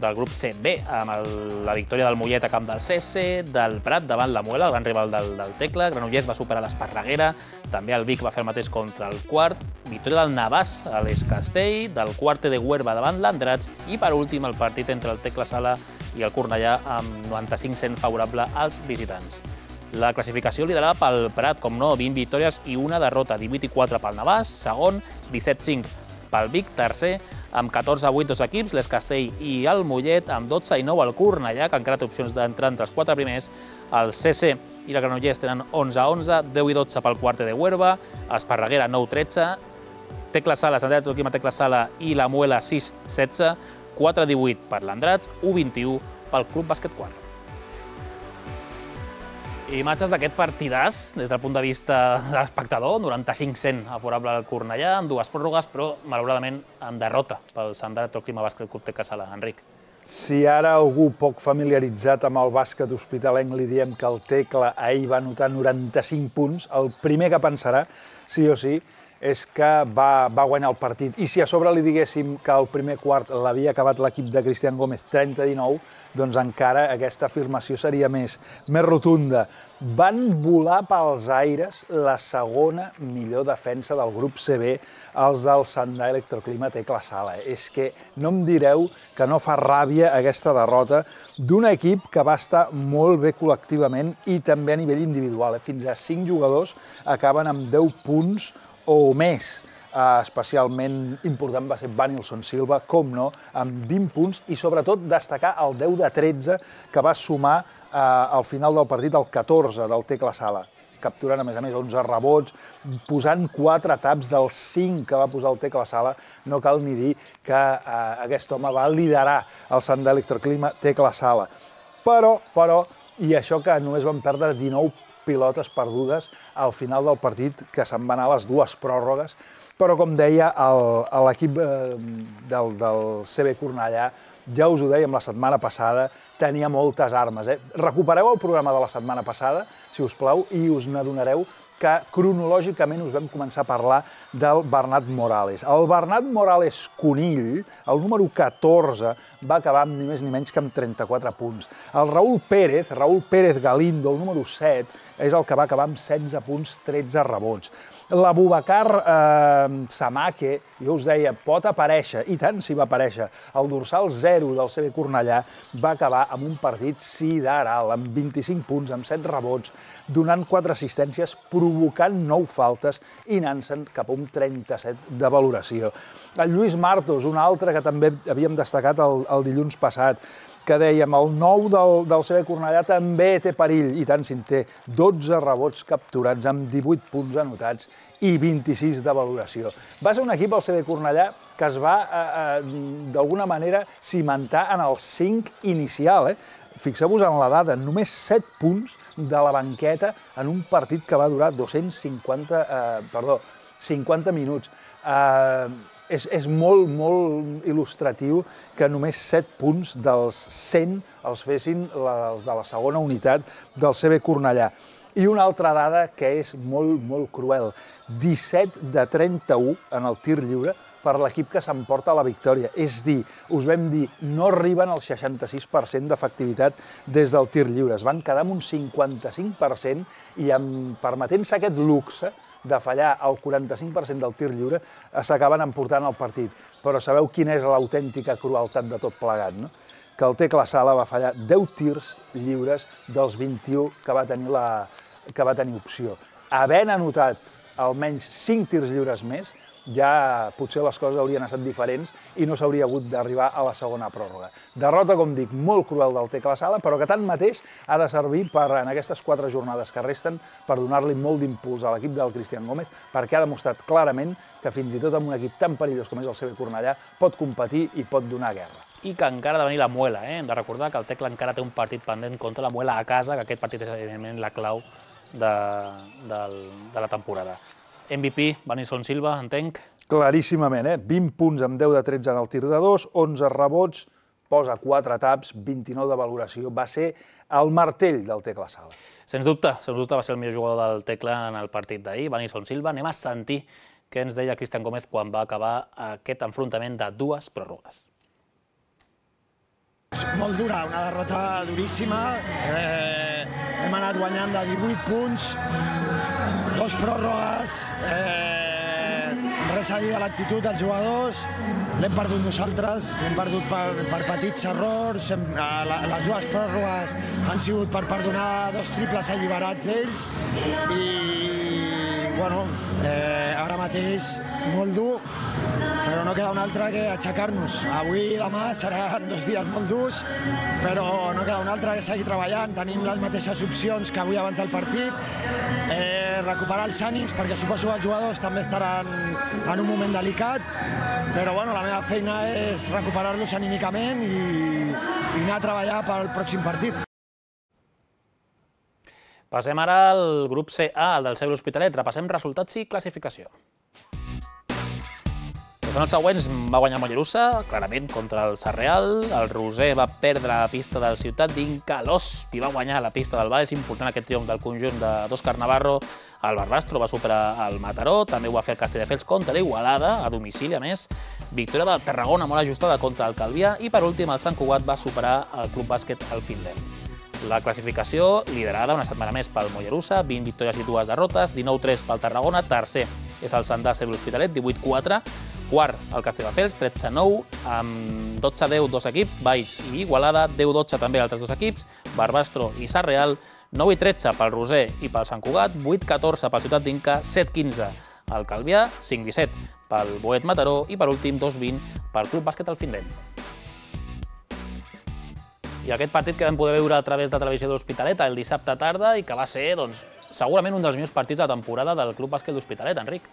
Del grup C B, amb el, la victòria del Mollet a camp del C S, del Prat davant la Muela, el gran rival del, del Tecla, Granollers va superar l'Esparreguera, també el Vic va fer el mateix contra el Quart, victòria del Navàs a l'Escastell, del Quarte de Huerva davant l'Andratx, i per últim el partit entre el Tecla Sala i el Cornellà amb noranta-cinc cent favorable als visitants. La classificació liderada pel Prat, com no, vint victòries i una derrota, divuit i quatre pel Navàs, segon, disset cinc pel Vic, tercer, amb catorze a vuit dos equips, l'Escastell i el Mollet, amb dotze i nou el Cornellà, que encara té opcions d'entrar entre els quatre primers, el C S i el Granollers tenen onze a onze, deu i dotze pel Quarte de Huerva, Esparreguera nou a tretze, Tecla Sala, Sant Joaquim a Tecla Sala i la Muela sis a setze, quatre a divuit per l'Andratx, u a vint-i-u pel Club Bàsquet Quart. Imatges d'aquest partidàs, des del punt de vista de l'espectador, noranta-cinc cent favorable al Cornellà, amb dues pròrrogues, però malauradament amb derrota pel Sant Joaquim a Bàsquet Club Tecla Sala. Enric. Si ara algú poc familiaritzat amb el bàsquet hospitalenc li diem que el Tecla ahir va anotar noranta-cinc punts, el primer que pensarà, sí o sí, és que va, va guanyar el partit. I si a sobre li diguéssim que el primer quart l'havia acabat l'equip de Cristian Gómez trenta a dinou, doncs encara aquesta afirmació seria més, més rotunda. Van volar pels aires la segona millor defensa del grup C B, els del Sandà Electroclima Tecla Sala. És que no em direu que no fa ràbia aquesta derrota d'un equip que va estar molt bé col·lectivament i també a nivell individual. Fins a cinc jugadors acaben amb deu punts o més. Especialment important va ser Vanilson Silva, com no, amb vint punts, i sobretot destacar el deu de tretze que va sumar al final del partit el catorze del Tecla Sala. capturant a més a més onze rebots, posant quatre taps dels cinc que va posar el Tecla Sala. No cal ni dir que eh, aquest home va liderar el Sant d'Electroclima Tecla Sala. Però, però, i això que només van perdre dinou pilotes perdudes al final del partit, que se'n van anar a les dues pròrrogues, però com deia l'equip eh, del, del C B Cornellà, ja us ho dèiem la setmana passada, tenia moltes armes. Eh? Recupereu el programa de la setmana passada, si us plau, i us n'adonareu que cronològicament us vam començar a parlar del Bernat Morales. El Bernat Morales Conill, el número catorze, va acabar amb ni més ni menys que amb trenta-quatre punts. El Raúl Pérez, Raúl Pérez Galindo, el número set, és el que va acabar amb setze punts, tretze rebots. L'Abubakar eh, Samake, jo us deia, pot aparèixer, i tant si va aparèixer, el dorsal zero del C B Cornellà va acabar amb un partit sideral, amb vint-i-cinc punts, amb set rebots, donant quatre assistències, provocant nou faltes i anant-se'n cap a un trenta-set de valoració. El Lluís Martos, un altre que també havíem destacat el, el dilluns passat, que dèiem, el nou del, del C B Cornellà també té perill, i tant si en té, dotze rebots capturats amb divuit punts anotats i vint-i-sis de valoració. Va ser un equip, el C B Cornellà, que es va, eh, eh, d'alguna manera, cimentar en el cinc inicial. Eh? Fixeu-vos en la dada, només set punts de la banqueta en un partit que va durar dos-cents cinquanta, eh, perdó, cinquanta minuts. Eh, és, és molt, molt il·lustratiu que només set punts dels cent els fessin els de la segona unitat del C B Cornellà. I una altra dada que és molt, molt cruel. disset de trenta-u en el tir lliure per l'equip que s'emporta la victòria. És dir, us vam dir, no arriben al seixanta-sis per cent d'efectivitat des del tir lliure. Es van quedar amb un cinquanta-cinc per cent i permetent-se aquest luxe de fallar el quaranta-cinc per cent del tir lliure, s'acaben emportant el partit. Però sabeu quina és l'autèntica crueltat de tot plegat, no? Que el Tecla Sala va fallar deu tirs lliures dels vint-i-u que va tenir, la, que va tenir opció. Havent anotat almenys cinc tirs lliures més, ja potser les coses haurien estat diferents i no s'hauria hagut d'arribar a la segona pròrroga. Derrota, com dic, molt cruel del Tecla Sala, però que tanmateix ha de servir per, en aquestes quatre jornades que resten, per donar-li molt d'impuls a l'equip del Cristian Gómez, perquè ha demostrat clarament que fins i tot amb un equip tan perillós com és el C B Cornellà pot competir i pot donar guerra. I que encara ha de venir la Muela, eh? Hem de recordar que el Tecla encara té un partit pendent contra la Muela a casa, que aquest partit és evidentment la clau de, de, de la temporada. M V P, Vanison Silva, entenc? Claríssimament, eh? vint punts amb deu de tretze en el tir de dos, onze rebots, posa quatre taps, vint-i-nou de valoració. Va ser el martell del Tecla Sala. Sens dubte, sens dubte va ser el millor jugador del Tecla en el partit d'ahir, Vanison Silva. Anem a sentir què ens deia Cristian Gómez quan va acabar aquest enfrontament de dues pròrrogues. Molt dura, una derrota duríssima. Eh, hem anat guanyant de divuit punts, dos pròrrogues, eh, res a dir de l'actitud dels jugadors, l'hem perdut nosaltres, l'hem perdut per, per petits errors, hem, la, les dues pròrrogues han sigut per perdonar dos triples alliberats d'ells i, bueno, eh, ara mateix molt dur, però no queda un altre que aixecar-nos. Avui i demà seran dos dies molt durs, però no queda un altre que seguir treballant. Tenim les mateixes opcions que avui abans del partit, eh, recuperar els ànims, perquè suposo que els jugadors també estaran en un moment delicat, però bueno, la meva feina és recuperar-los anímicament i, i anar a treballar pel pròxim partit. Passem ara al grup C A, el del C B L'Hospitalet. Repassem resultats i classificació. Són els següents. Va guanyar Mollerussa, clarament, contra el Sarreal. El Roser va perdre la pista del Ciutat d'Inca. L'Hospi va guanyar la pista del Valls. Important aquest triomf del conjunt d'Òscar Navarro. El Barbastro va superar el Mataró. També ho va fer el Castelldefels contra l'Igualada, a domicili, a més. Victòria del Tarragona, molt ajustada contra el Calvià. I, per últim, el Sant Cugat va superar el Club Bàsquet al Findem. La classificació liderada una setmana més pel Mollerussa, vint victòries i dues derrotes, dinou tres pel Tarragona, tercer és el Santà C B L'Hospitalet, divuit quatre, quart el Castelldefels, tretze nou, amb dotze deu dos equips, Valls i Igualada, deu dotze també altres dos equips, Barbastro i Sarreal, nou i tretze pel Roser i pel Sant Cugat, vuit catorze pel Ciutat d'Inca, set quinze el Calvià, cinc disset pel Boet Mataró i per últim dos vint pel Club Bàsquet al Findem. I aquest partit que vam poder veure a través de Televisió de l'Hospitalet el dissabte tarda i que va ser, doncs, segurament un dels millors partits de la temporada del Club Bàsquet l'Hospitalet, Enric.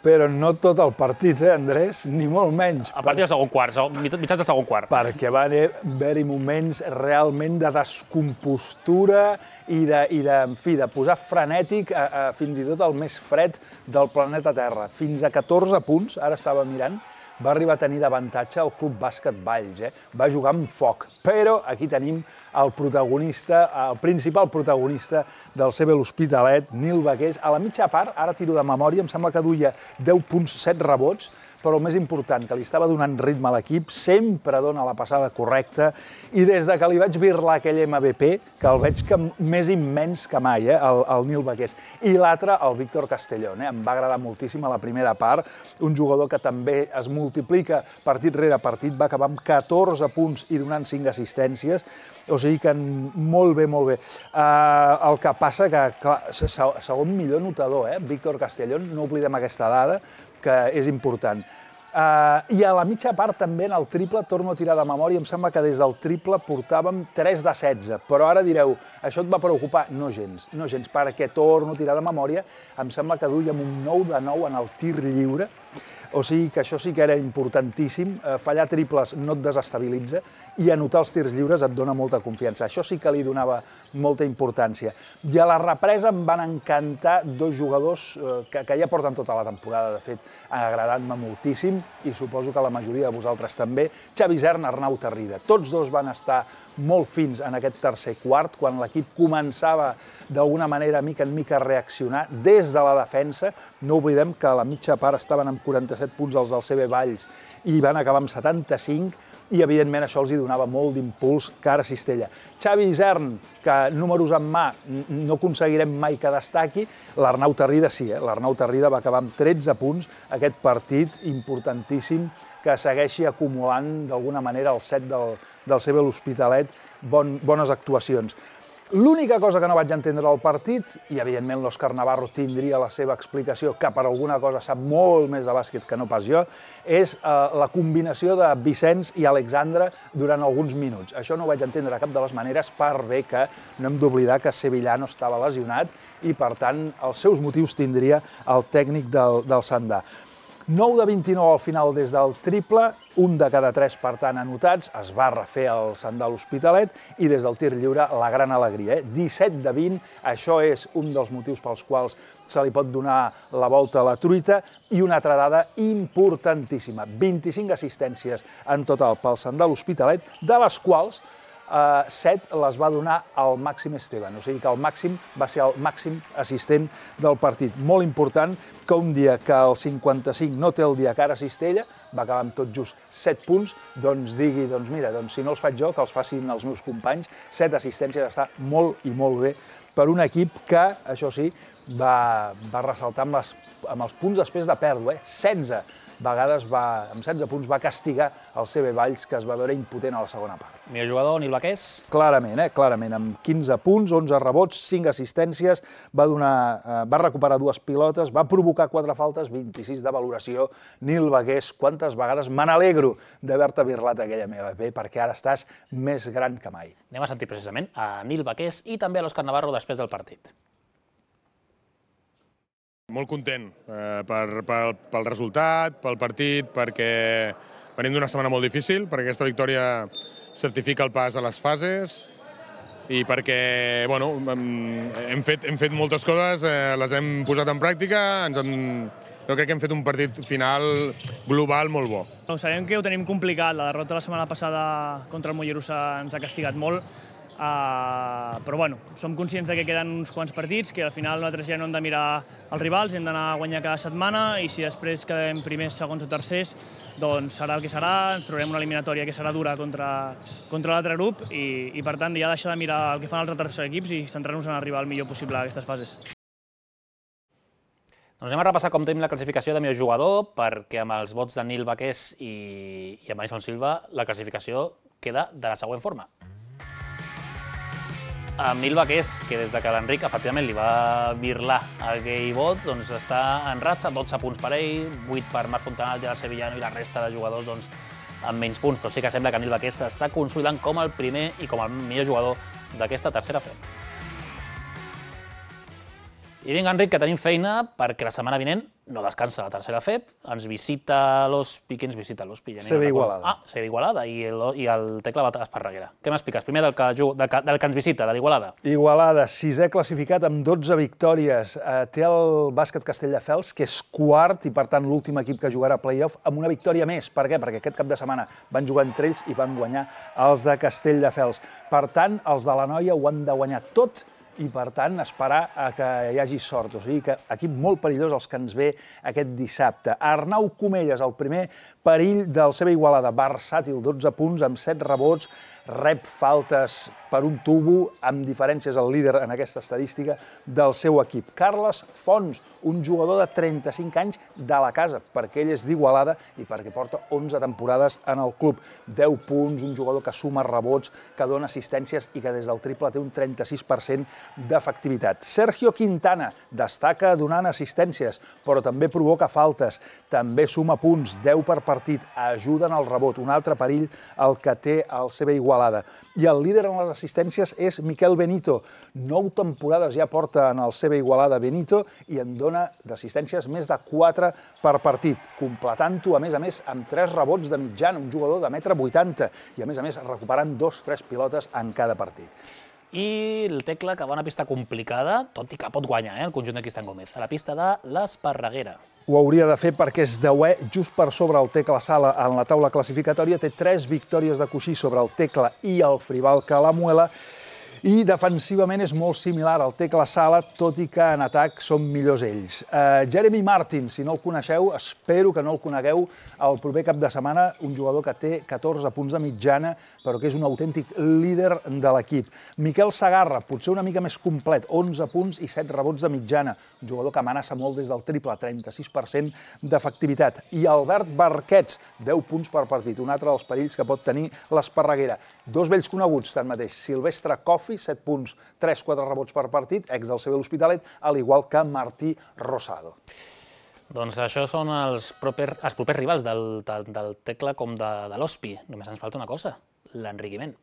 Però no tot el partit, eh, Andrés? Ni molt menys. A partir del segon quart, mitjans del segon quart. Perquè van haver-hi moments realment de descompostura i de, i de, en fi, de posar frenètic a, a, fins i tot el més fred del planeta Terra. Fins a catorze punts, ara estava mirant, va arribar a tenir d'avantatge el Club Bàsquet Valls. Eh? Va jugar amb foc, però aquí tenim el protagonista, el principal protagonista del C B l'Hospitalet, Nil Baqués. A la mitja part, ara tiro de memòria, em sembla que duia deu punts, set rebots, però el més important, que li estava donant ritme a l'equip, sempre dona la passada correcta, i des de que li vaig birlar aquell M V P, que el veig que més immens que mai, eh, el, el Nil Baqués. I l'altre, el Víctor Castellón, eh, em va agradar moltíssim a la primera part, un jugador que també es multiplica partit rere partit, va acabar amb catorze punts i donant cinc assistències, o sigui que molt bé, molt bé. Uh, el que passa que, clar, segon millor notador, eh, Víctor Castellón, no oblidem aquesta dada, que és important. Uh, I a la mitja part també en el triple, torno a tirar de memòria, em sembla que des del triple portàvem tres de setze, però ara direu, això et va preocupar? No gens, no gens, perquè torno a tirar de memòria, em sembla que duíem un nou de nou en el tir lliure, o sigui que això sí que era importantíssim, fallar triples no et desestabilitza i anotar els tirs lliures et dona molta confiança. Això sí que li donava molta importància. I a la represa em van encantar dos jugadors que, que ja porten tota la temporada, de fet, agradant-me moltíssim, i suposo que la majoria de vosaltres també, Xavi Isern, Arnau Tarrida. Tots dos van estar molt fins en aquest tercer quart, quan l'equip començava d'alguna manera, mica en mica, a reaccionar des de la defensa. No oblidem que a la mitja part estaven amb quaranta-set punts els del C B Valls i van acabar amb setanta-cinc, i evidentment això els hi donava molt d'impuls cara a Cistella. Xavi Isern, que números en mà no aconseguirem mai que destaqui, l'Arnau Tarrida sí, eh? l'Arnau Tarrida va acabar amb tretze punts, aquest partit importantíssim que segueixi acumulant d'alguna manera el set del, del C B l'Hospitalet, bon, bones actuacions. L'única cosa que no vaig entendre al partit, i evidentment l'Òscar Navarro tindria la seva explicació, que per alguna cosa sap molt més de bàsquet que no pas jo, és eh, la combinació de Vicenç i Alexandre durant alguns minuts. Això no ho vaig entendre de cap de les maneres, per bé que no hem d'oblidar que Sevillano estava lesionat i, per tant, els seus motius tindria el tècnic del, del Sandà. nou de vint-i-nou al final des del triple, un de cada tres, per tant, anotats, es va refer el Sandà l'Hospitalet, i des del tir lliure la gran alegria. Eh? disset de vint, això és un dels motius pels quals se li pot donar la volta a la truita, i una altra dada importantíssima, vint-i-cinc assistències en total pel Sandà l'Hospitalet, de les quals Uh, set les va donar al Màxim Esteban, o sigui que el Màxim va ser el màxim assistent del partit. Molt important que un dia que el cinquanta-cinc no té el dia que ara Cistella, va acabar amb tot just set punts, doncs digui, doncs mira, doncs si no els faig jo, que els facin els meus companys. Set assistències està molt i molt bé per un equip que, això sí, va, va ressaltar amb, les, amb els punts després de pèrdua, eh? setze vegades, va, amb setze punts, va castigar el C B Valls, que es va veure impotent a la segona part. Millor jugador, Nil Baqués? Clarament, eh? Clarament, amb quinze punts, onze rebots, cinc assistències, va, donar, eh, va recuperar dues pilotes, va provocar quatre faltes, vint-i-sis de valoració. Nil Baqués, quantes vegades me n'alegro d'haver-te birlat aquella meva B, perquè ara estàs més gran que mai. Anem a sentir precisament a Nil Baqués i també a l'Òscar Navarro després del partit. Molt content eh, per, per, pel resultat, pel partit, perquè venim d'una setmana molt difícil, perquè aquesta victòria certifica el pas a les fases i perquè bueno, hem, fet, hem fet moltes coses, eh, les hem posat en pràctica, ens hem, jo crec que hem fet un partit final global molt bo. Sabem que ho tenim complicat, la derrota la setmana passada contra el Mollerussa ens ha castigat molt, Uh, però bueno, som conscients que queden uns quants partits, que al final nosaltres ja no hem de mirar els rivals, hem d'anar a guanyar cada setmana, i si després quedem primers, segons o tercers, doncs serà el que serà, ens trobarem una eliminatòria que serà dura contra, contra l'altre grup, i, i per tant ja deixar de mirar el que fan els altres equips i centrar-nos en arribar el millor possible a aquestes fases. Doncs anem a repassar com tenim la classificació de millor jugador, perquè amb els vots de Nil Baqués i, i amb Alison Silva la classificació queda de la següent forma. Amb Nil Baqués, que des que l'Enric efectivament li va birlar aquell vot, doncs està en ratxa, dotze punts per ell, vuit per Marc Fontanals, Gerard Sevillano, i la resta de jugadors doncs, amb menys punts, però sí que sembla que Nil Baquer s'està consolidant com el primer i com el millor jugador d'aquesta tercera F E P. I vinga, Enric, que tenim feina perquè la setmana vinent no descansa la tercera F E P, ens visita l'Ospi, qui ens visita l'Ospi? C B Igualada. Ah, C B Igualada i el, i el Tecla Bata Esparreguera. Què m'expliques? Primer del que, del, que, del que ens visita, de l'Igualada. Igualada, sisè classificat amb dotze victòries. Eh, té el bàsquet Castelldefels, que és quart i, per tant, l'últim equip que jugarà a play-off amb una victòria més. Per què? Perquè aquest cap de setmana van jugar entre ells i van guanyar els de Castelldefels. Per tant, els de la Noia ho han de guanyar tot i, per tant, esperar a que hi hagi sort. O sigui que equip molt perillós els que ens ve aquest dissabte. Arnau Comelles, el primer perill del C B Igualada, versàtil, dotze punts amb set rebots, rep faltes per un tubo, amb diferències el líder en aquesta estadística del seu equip. Carles Fons, un jugador de trenta-cinc anys de la casa, perquè ell és d'Igualada i perquè porta onze temporades en el club. deu punts, un jugador que suma rebots, que dona assistències i que des del triple té un trenta-sis per cent d'efectivitat. Sergio Quintana destaca donant assistències, però també provoca faltes, també suma punts, deu per partit, ajuda en el rebot, un altre perill el que té el C B Igualada. I el líder en les assistències és Miquel Benito. Nou temporades ja porta en el C B Igualada Benito i en dona d'assistències més de quatre per partit, completant-ho, a més a més, amb tres rebots de mitjana, un jugador de metre vuitanta, i a més a més recuperant dos, tres pilotes en cada partit. I el Tecla, que va a una pista complicada, tot i que pot guanyar, eh, el conjunt de Cristian Gómez, a la pista de l'Esparreguera. Ho hauria de fer perquè és deuè, just per sobre el Tecla Sala en la taula classificatòria, té tres victòries de coixí sobre el Tecla i el Fribal Calamuela, i defensivament és molt similar al Tecla Sala, tot i que en atac són millors ells. Uh, Jeremy Martin, si no el coneixeu, espero que no el conegueu el proper cap de setmana, un jugador que té catorze punts de mitjana, però que és un autèntic líder de l'equip. Miquel Sagarra, potser una mica més complet, onze punts i set rebots de mitjana, un jugador que amenaça molt des del triple, trenta-sis per cent d'efectivitat. I Albert Barquets, deu punts per partit, un altre dels perills que pot tenir l'Esparreguera. Dos vells coneguts, tanmateix, Silvestre Cofi, set punts, tres quatre rebots per partit, ex del C B l'Hospitalet, al igual que Martí Rosado. Doncs això són els propers, els propers rivals del, del, del Tecla com de, de l'Ospi. Només ens falta una cosa, l'enriquiment.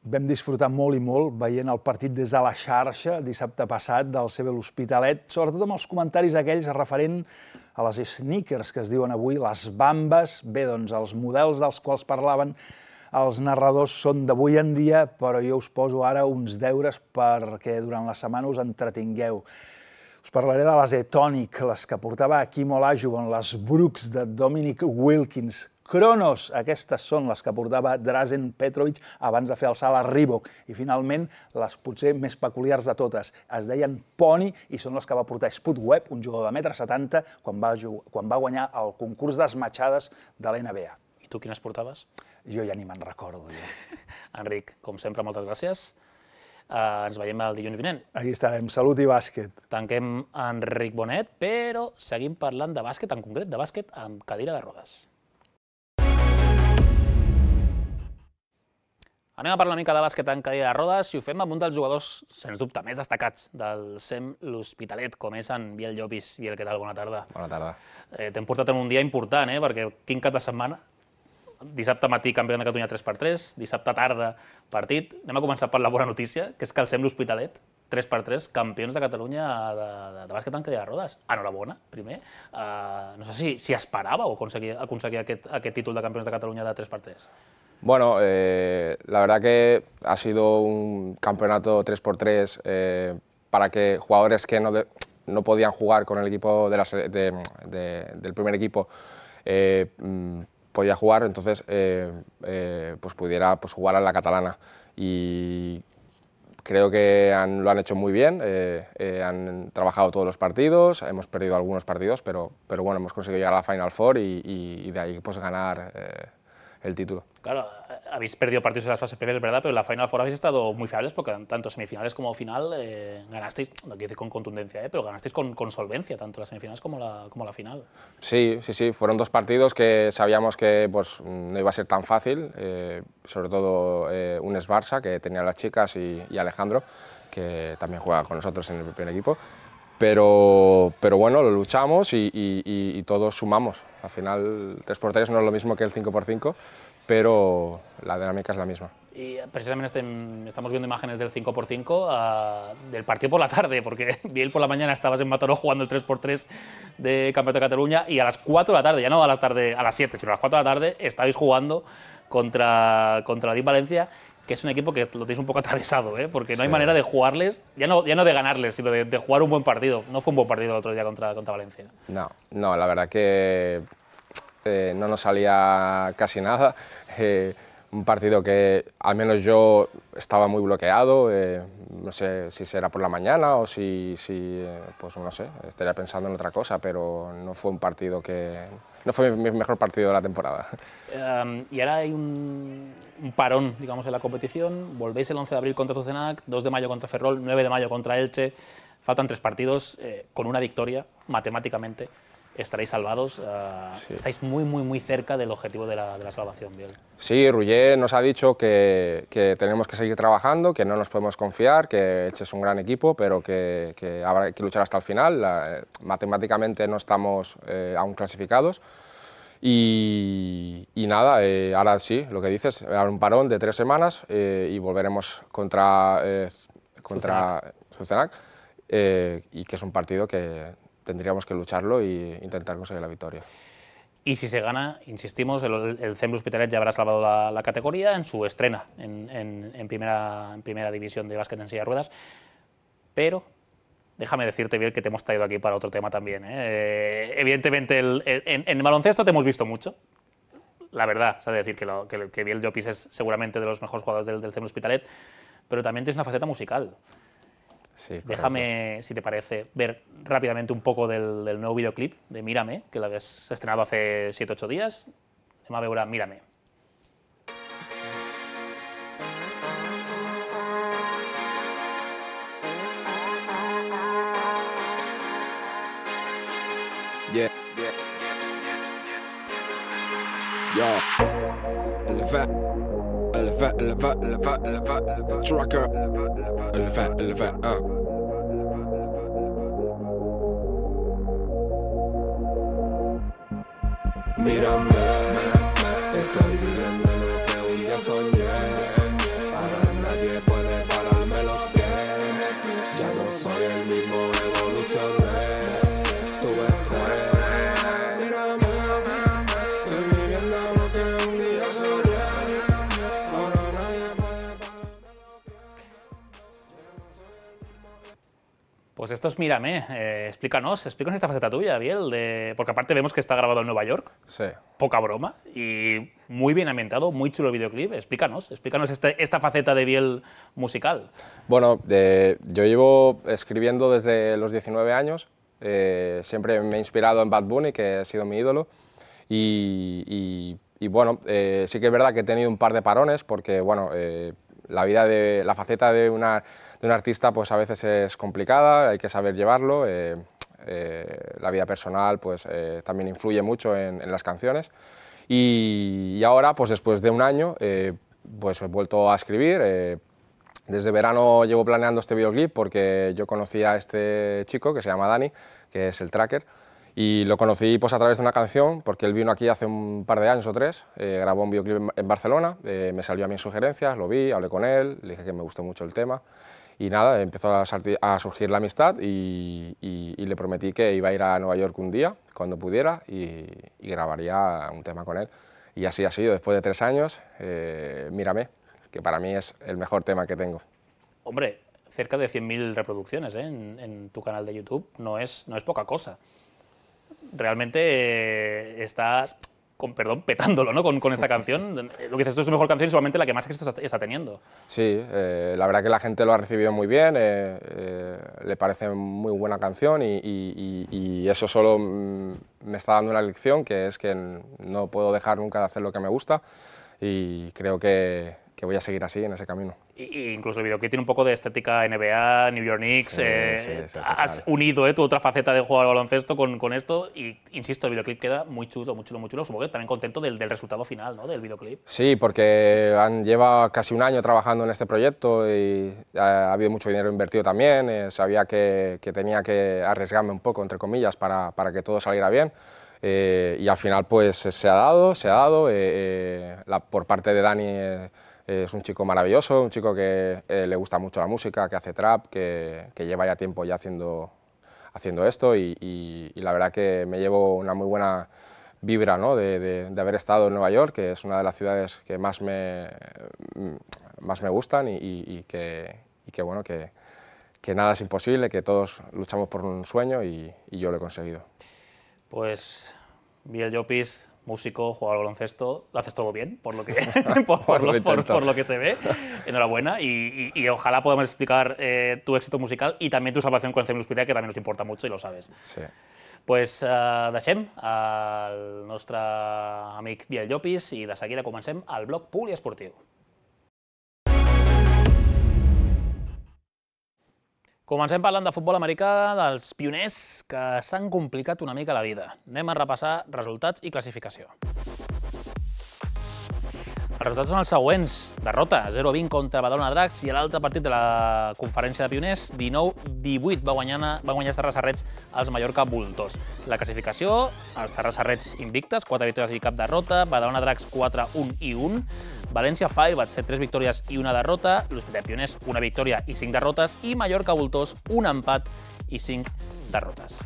Vam disfrutar molt i molt veient el partit des de la xarxa dissabte passat del C B l'Hospitalet, sobretot amb els comentaris aquells referent a les sneakers que es diuen avui, les bambes. Bé, doncs els models dels quals parlaven els narradors són d'avui en dia, però jo us poso ara uns deures perquè durant la setmana us entretingueu. Us parlaré de les Etonic, les que portava Hakeem Olajuwon, les Brooks de Dominic Wilkins, Kronos, aquestes són les que portava Drazen Petrovic abans de fer el salt a Reebok. I finalment, les potser més peculiars de totes, es deien Pony i són les que va portar Spud Webb, un jugador de metre setanta, quan va, quan va guanyar el concurs d'esmatxades de l'N B A. I tu quines portaves? Jo ja ni me'n recordo. Jo. Enric, com sempre, moltes gràcies. Uh, ens veiem el dilluns vinent. Aquí estarem. Salut i bàsquet. Tanquem Enric Bonet, però seguim parlant de bàsquet, en concret de bàsquet amb cadira de rodes. Anem a parlar una mica de bàsquet en cadira de rodes i ho fem amb un dels jugadors, sens dubte, més destacats del C E M l'Hospitalet, com és en Biel Llopis. Biel, què tal? Bona tarda. Bona tarda. Eh, T'hem portat en un dia important, eh? Perquè quin cap de setmana. Dissabte matí, campió de Catalunya tres per tres, dissabte tarda, partit. Anem a començar per la bona notícia, que és que el C E M l'Hospitalet, tres per tres, campions de Catalunya de, de, de bàsquet en cadira de rodes. Enhorabona, primer. Uh, no sé si, si esperàveu aconseguir, aconseguir aquest, aquest títol de campions de Catalunya de tres per tres. Bueno, eh, la verdad que ha sido un campeonato tres por tres eh, para que jugadores que no, de, no podían jugar con el equipo de la, de, de, del primer equipo eh, podía jugar, entonces eh, eh, pues pudiera pues jugar a la catalana. Y creo que han, lo han hecho muy bien, eh, eh, han trabajado todos los partidos, hemos perdido algunos partidos, pero, pero bueno, hemos conseguido llegar a la Final Four y, y, y de ahí pues ganar eh, el título. Claro, habéis perdido partidos en las fases previas, es verdad, pero en la Final Four habéis estado muy fiables porque tanto semifinales como final eh, ganasteis, no quiero decir con contundencia, eh, pero ganasteis con, con solvencia, tanto las semifinales como la, como la final. Sí, sí, sí, fueron dos partidos que sabíamos que pues, no iba a ser tan fácil, eh, sobre todo eh, un Esbarsa, que tenía las chicas, y, y Alejandro, que también juega con nosotros en el primer equipo. pero, pero bueno, lo luchamos y, y, y, y todos sumamos. Al final, tres por tres no es lo mismo que el cinco por cinco, pero la dinámica es la misma. Y precisamente este, estamos viendo imágenes del cinco por cinco uh, del partido por la tarde, porque bien por la mañana estabas en Mataró jugando el tres por tres de Campeonato de Cataluña y a las cuatro de la tarde, ya no a la tarde, a las siete, sino a las cuatro de la tarde, estabais jugando contra, contra la D I M Valencia, que es un equipo que lo tenéis un poco atravesado, ¿eh? Porque no hay Sí. manera de jugarles, ya no, ya no de ganarles, sino de, de jugar un buen partido. No fue un buen partido el otro día contra, contra Valencia. No, no, la verdad que eh, no nos salía casi nada. Eh, un partido que al menos yo estaba muy bloqueado, eh, no sé si será por la mañana o si, si eh, pues no sé, estaría pensando en otra cosa, pero no fue un partido que... no fue mi mejor partido de la temporada. Um, y ahora hay un, un parón, digamos, en la competición. Volvéis el once de abril contra Zuzenac, dos de mayo contra Ferrol, nueve de mayo contra Elche. Faltan tres partidos. Eh, con una victoria, matemáticamente, estaréis salvados. Uh, Sí. Estáis muy, muy, muy cerca del objetivo de la, de la salvación, Biel. Sí, Ruller nos ha dicho que, que tenemos que seguir trabajando, que no nos podemos confiar, que Elche es un gran equipo, pero que, que habrá que luchar hasta el final. La, matemáticamente no estamos eh, aún clasificados. Y, y nada, eh, ahora sí, lo que dices, ahora un parón de tres semanas eh, y volveremos contra, eh, contra Zuzenac, eh, y que es un partido que tendríamos que lucharlo e intentar conseguir la victoria. Y si se gana, insistimos, el, el C E M L'Hospitalet ya habrá salvado la, la categoría en su estrena en, en, en, primera, en primera división de básquet en silla de ruedas. Pero déjame decirte, Biel, que te hemos traído aquí para otro tema también, ¿eh? Eh, evidentemente, el, el, en, en el baloncesto te hemos visto mucho. La verdad, es decir, que, lo, que, que Biel Llopis es seguramente de los mejores jugadores del, del C E M L'Hospitalet, pero también tienes una faceta musical. Sí, Déjame, si te parece, ver rápidamente un poco del, del nuevo videoclip de Mírame, que lo habías estrenado hace siete ocho días. Anem a veure Mírame. Yeah, yeah, yeah. Yo, elevate, elevate, elevate, elevate, elevate, elevate, tracker, elevate, elevate, uh. Mírame, estoy viviendo lo que un día soñé. Ahora nadie puede pararme los pies. Ya no soy el mismo, evolucioné. Tuve fe. Mírame, estoy viviendo lo que un día soñé. Ahora nadie puede pararme los pies. Pues esto es Mírame. Eh, explícanos, explícanos esta faceta tuya, Biel, de... porque aparte vemos que está grabado en Nueva York. Sí. Poca broma y muy bien ambientado, muy chulo el videoclip. Explícanos, explícanos este, esta faceta de Biel musical. Bueno, eh, yo llevo escribiendo desde los diecinueve años, eh, siempre me he inspirado en Bad Bunny, que ha sido mi ídolo, y, y, y bueno, eh, sí que es verdad que he tenido un par de parones, porque bueno, eh, la vida de, la faceta de, una, de un artista pues a veces es complicada, hay que saber llevarlo, eh, eh, la vida personal pues eh, también influye mucho en, en las canciones, y, y ahora pues después de un año eh, pues he vuelto a escribir. eh, Desde verano llevo planeando este videoclip porque yo conocí a este chico que se llama Dani, que es el tracker, y lo conocí pues a través de una canción porque él vino aquí hace un par de años o tres, eh, grabó un videoclip en, en Barcelona, eh, me salió a mí en sugerencias, lo vi, hablé con él, le dije que me gustó mucho el tema y nada, empezó a, a surgir la amistad y, y, y le prometí que iba a ir a Nueva York un día, cuando pudiera, y, y grabaría un tema con él. Y así ha sido, después de tres años, eh, Mírame, que para mí es el mejor tema que tengo. Hombre, cerca de cien mil reproducciones, ¿eh? en, en tu canal de YouTube, no es, no es poca cosa. Realmente eh, estás, con, perdón, petándolo, ¿no? con, con esta canción. Lo que dices tú es su mejor canción y seguramente la que más éxito está, está teniendo. Sí, eh, la verdad que la gente lo ha recibido muy bien, eh, eh, le parece muy buena canción y, y, y, y eso solo me está dando una lección, que es que no puedo dejar nunca de hacer lo que me gusta y creo que que voy a seguir así, en ese camino. Y, incluso el videoclip tiene un poco de estética N B A, New York Knicks. Sí, eh, sí, sí, has unido eh, tu otra faceta de jugar al baloncesto con, con esto y, insisto, el videoclip queda muy chulo, muy chulo, muy chulo. Supongo que también contento del, del resultado final, ¿no? Del videoclip. Sí, porque han, lleva casi un año trabajando en este proyecto y ha, ha habido mucho dinero invertido también. Eh, sabía que, que tenía que arriesgarme un poco, entre comillas, para, para que todo saliera bien. Eh, y al final pues se ha dado, se ha dado. Eh, eh, la, por parte de Dani eh, es un chico maravilloso, un chico que eh, le gusta mucho la música, que hace trap, que, que lleva ya tiempo ya haciendo, haciendo esto y, y, y la verdad que me llevo una muy buena vibra, ¿no? de, de, de haber estado en Nueva York, que es una de las ciudades que más me, más me gustan y, y, y, que, y que, bueno, que, que nada es imposible, que todos luchamos por un sueño y, y yo lo he conseguido. Pues Biel Llopis, músico, jugador de baloncesto, lo haces todo bien, por lo que, por, por, lo, por, por lo que se ve. Enhorabuena y, y, y ojalá podamos explicar eh, tu éxito musical y también tu salvación con el C M l'Hospitalet, que también nos importa mucho y lo sabes. Sí. Pues eh, deixem el nostre amic Biel Llopis i de seguida comencem el bloc poliesportiu. Comencem parlant de futbol americà, dels pioners que s'han complicat una mica la vida. Anem a repassar resultats i classificació. Els resultats són els següents. Derrota, zero a vint contra Badalona Dracs i l'altre partit de la conferència de pioners, dinou divuit, va guanyar, va guanyar els Terrassa-Reds als Mallorca Voltors. La classificació, els Terrassa-Reds invictes, quatre victòries i cap derrota, Badalona Dracs quatre un i un, València Firebats, tres victòries i una derrota, l'Hospitalet Pioners, una victòria i cinc derrotes, i Mallorca Voltors, un empat i cinc derrotes.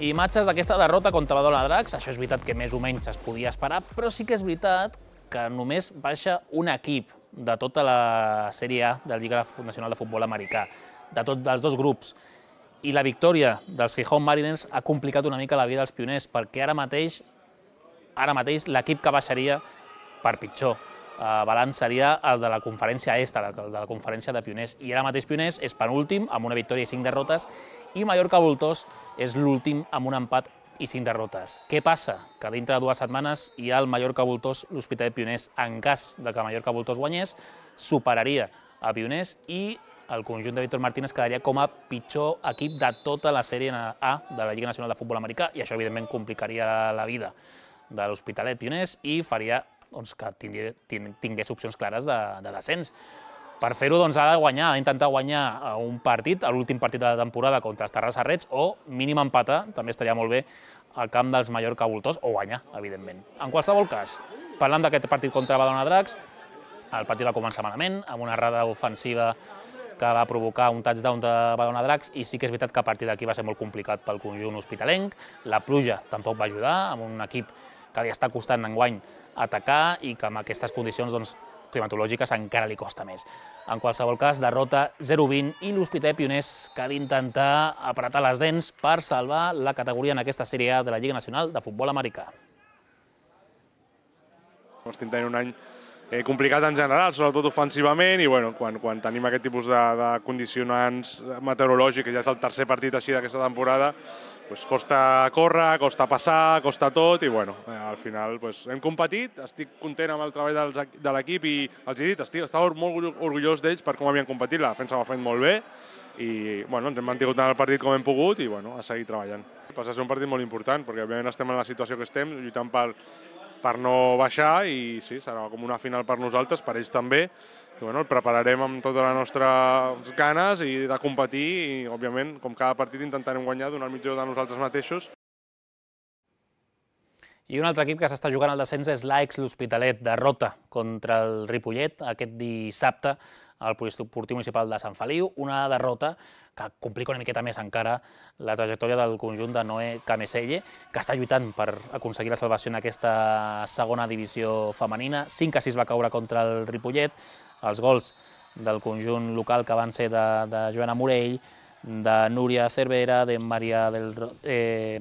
Imatges d'aquesta derrota contra Badalona Dracs, això és veritat que més o menys es podia esperar, però sí que és veritat que només baixa un equip de tota la Sèrie A de la Lliga Nacional de Futbol Americà, de tots els dos grups. I la victòria dels Gijón Mariners ha complicat una mica la vida dels pioners, perquè ara mateix, ara mateix l'equip que baixaria per pitjor balanç seria el de la conferència est, el de la conferència de pioners. I ara mateix pioners és penúltim, amb una victòria i cinc derrotes, i Mallorca Voltors és l'últim amb un empat i cinc derrotes. Què passa? Que dintre de dues setmanes hi ha el Mallorca Voltors, l'Hospitalet Pioners. En cas de que Mallorca Voltors guanyés, superaria a Pioners i el conjunt de Víctor Martínez quedaria com a pitjor equip de tota la Sèrie A de la Lliga Nacional de Futbol Americà i això, evidentment, complicaria la vida de l'Hospitalet Pioners i faria doncs, que tingués, tingués opcions clares de, de descens. Per fer-ho doncs, ha de guanyar, ha d'intentar guanyar un partit, l'últim partit de la temporada contra els Terrassa-Reds, o mínim empatar, també estaria molt bé, al camp dels Mallorca Voltors, o guanyar, evidentment. En qualsevol cas, parlant d'aquest partit contra Badalona Dracs, el partit va començar malament, amb una errada ofensiva que va provocar un touchdown de Badalona Dracs, i sí que és veritat que a partir d'aquí va ser molt complicat pel conjunt hospitalenc. La pluja tampoc va ajudar, amb un equip que li està costant enguany atacar i que amb aquestes condicions doncs, climatològiques encara li costa més. En qualsevol cas, derrota zero a vint i l'Hospitalet Pioners que ha d'intentar apretar les dents per salvar la categoria en aquesta Sèrie A de la Lliga Nacional de Futbol Americà. Estem tenint un any eh, complicat en general, sobretot ofensivament, i bueno, quan, quan tenim aquest tipus de, de condicionants meteorològics, ja és el tercer partit així d'aquesta temporada, pues costa córrer, costa passar, costa tot, i bueno, eh, al final pues, hem competit, estic content amb el treball dels, de l'equip i els he dit, estic, estava molt orgullós d'ells per com havien competit, la defensa m'ha fet molt bé i bueno, ens hem mantingut en el partit com hem pogut i bueno, a seguir treballant. Passa a ser un partit molt important perquè òbviament estem en la situació que estem, lluitant per, per no baixar i sí, serà com una final per nosaltres, per ells també. I, bueno, el prepararem amb totes les nostres ganes i de competir i, òbviament, com cada partit intentarem guanyar, donar el millor de nosaltres mateixos. I un altre equip que s'està jugant al descens és l'Aix l'Hospitalet, derrota contra el Ripollet aquest dissabte al Poliesportiu Municipal de Sant Feliu, una derrota que complica una miqueta més encara la trajectòria del conjunt de Noé Cameselle, que està lluitant per aconseguir la salvació en aquesta segona divisió femenina. cinc a sis va caure contra el Ripollet, els gols del conjunt local que van ser de, de Joana Morell, de Núria Cervera, de Maria del... Eh,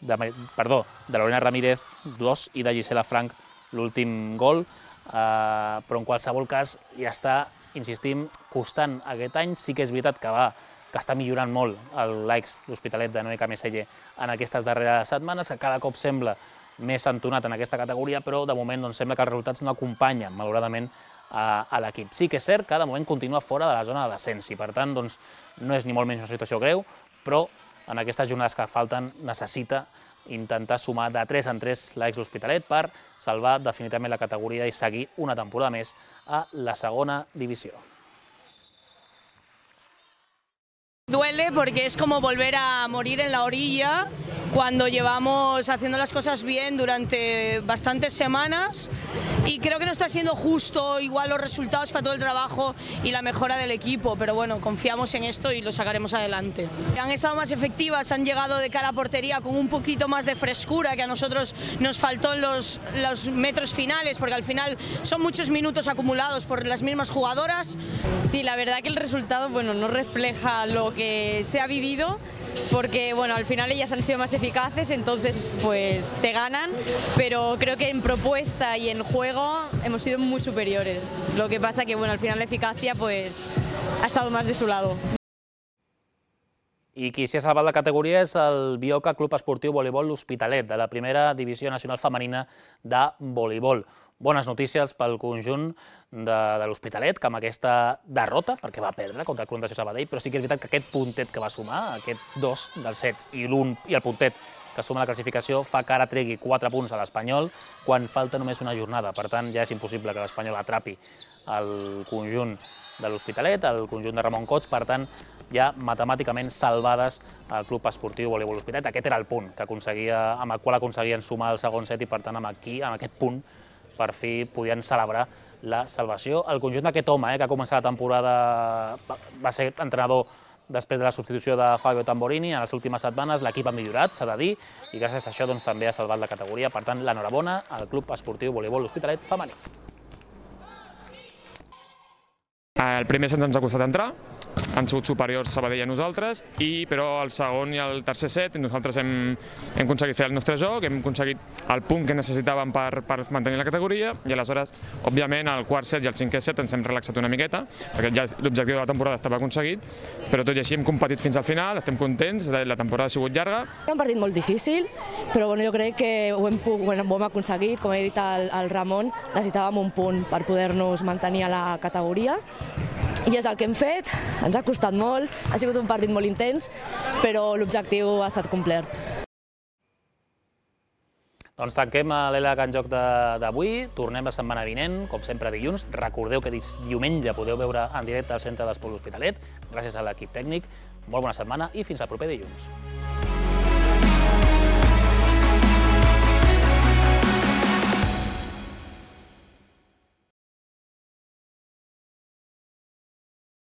de, perdó, de Lorena Ramírez, dos, i de Gisela Frank, l'últim gol, eh, però en qualsevol cas ja està, insistim, costant aquest any. Sí que és veritat que va, que està millorant molt l'Aix, l'Hospitalet de Noé Cameselle en aquestes darreres setmanes, que cada cop sembla més entonat en aquesta categoria, però de moment doncs, sembla que els resultats no acompanyen, malauradament, a, a l'equip. Sí que és cert que de moment continua fora de la zona de descens i, per tant, doncs, no és ni molt menys una situació greu, però en aquestes jornades que falten necessita intentar sumar de tres en tres l'ex L'Hospitalet per salvar definitivament la categoria i seguir una temporada més a la segona divisió. Duele porque es como volver a morir en la orilla cuando llevamos haciendo las cosas bien durante bastantes semanas y creo que no está siendo justo igual los resultados para todo el trabajo y la mejora del equipo, pero bueno, confiamos en esto y lo sacaremos adelante. Han estado más efectivas, han llegado de cara a portería con un poquito más de frescura que a nosotros nos faltó en los, los metros finales, porque al final son muchos minutos acumulados por las mismas jugadoras. Sí, la verdad que el resultado, bueno, no refleja lo que se ha vivido, porque bueno, al final ellas han sido más eficaces, entonces pues te ganan, pero creo que en propuesta y en juego hemos sido muy superiores. Lo que pasa que bueno, al final la eficacia pues ha estado más de su lado. I qui s'hi ha salvat la categoria és el Bioca Club Esportiu Voleibol L'Hospitalet, de la primera divisió nacional femenina de voleibol. Bones notícies pel conjunt de, de l'Hospitalet, que amb aquesta derrota, perquè va perdre contra el Club Natació Sabadell, però sí que és veritat que aquest puntet que va sumar, aquest dos dels set i l'un i el puntet que suma la classificació, fa que ara tregui quatre punts a l'Espanyol quan falta només una jornada. Per tant, ja és impossible que l'Espanyol atrapi el conjunt de l'Hospitalet, el conjunt de Ramon Cots, per tant, ja matemàticament salvades al Club Esportiu Voleibol L'Hospitalet. Aquest era el punt que aconseguia, amb el qual aconseguien sumar el segon set i, per tant, amb, aquí, amb aquest punt, per fi podien celebrar la salvació. El conjunt d'aquest home, eh, que ha començat la temporada, va ser entrenador després de la substitució de Fabio Tamborini, en les últimes setmanes l'equip ha millorat, s'ha de dir, i gràcies a això doncs, també ha salvat la categoria. Per tant, l'enhorabona al Club Esportiu Voleibol L'Hospitalet femení. El primer set ens ha costat entrar, han sigut superiors Sabadell a nosaltres, i, però el segon i el tercer set nosaltres hem, hem aconseguit fer el nostre joc, hem aconseguit el punt que necessitàvem per, per mantenir la categoria, i aleshores, òbviament, el quart set i el cinquè set ens hem relaxat una miqueta, perquè ja l'objectiu de la temporada estava aconseguit, però tot i així hem competit fins al final, estem contents, la temporada ha sigut llarga. És un partit molt difícil, però bueno, jo crec que ho hem, bueno, ho hem aconseguit, com he dit al, al Ramon, necessitàvem un punt per poder-nos mantenir a la categoria, i és el que hem fet, ens ha costat molt, ha sigut un partit molt intens, però l'objectiu ha estat complert. Doncs tanquem l'L H en joc d'avui, tornem la setmana vinent, com sempre dilluns. Recordeu que diumenge podeu veure en directe al Centre d'Esport L'Hospitalet, gràcies a l'equip tècnic. Molt bona setmana i fins al proper dilluns.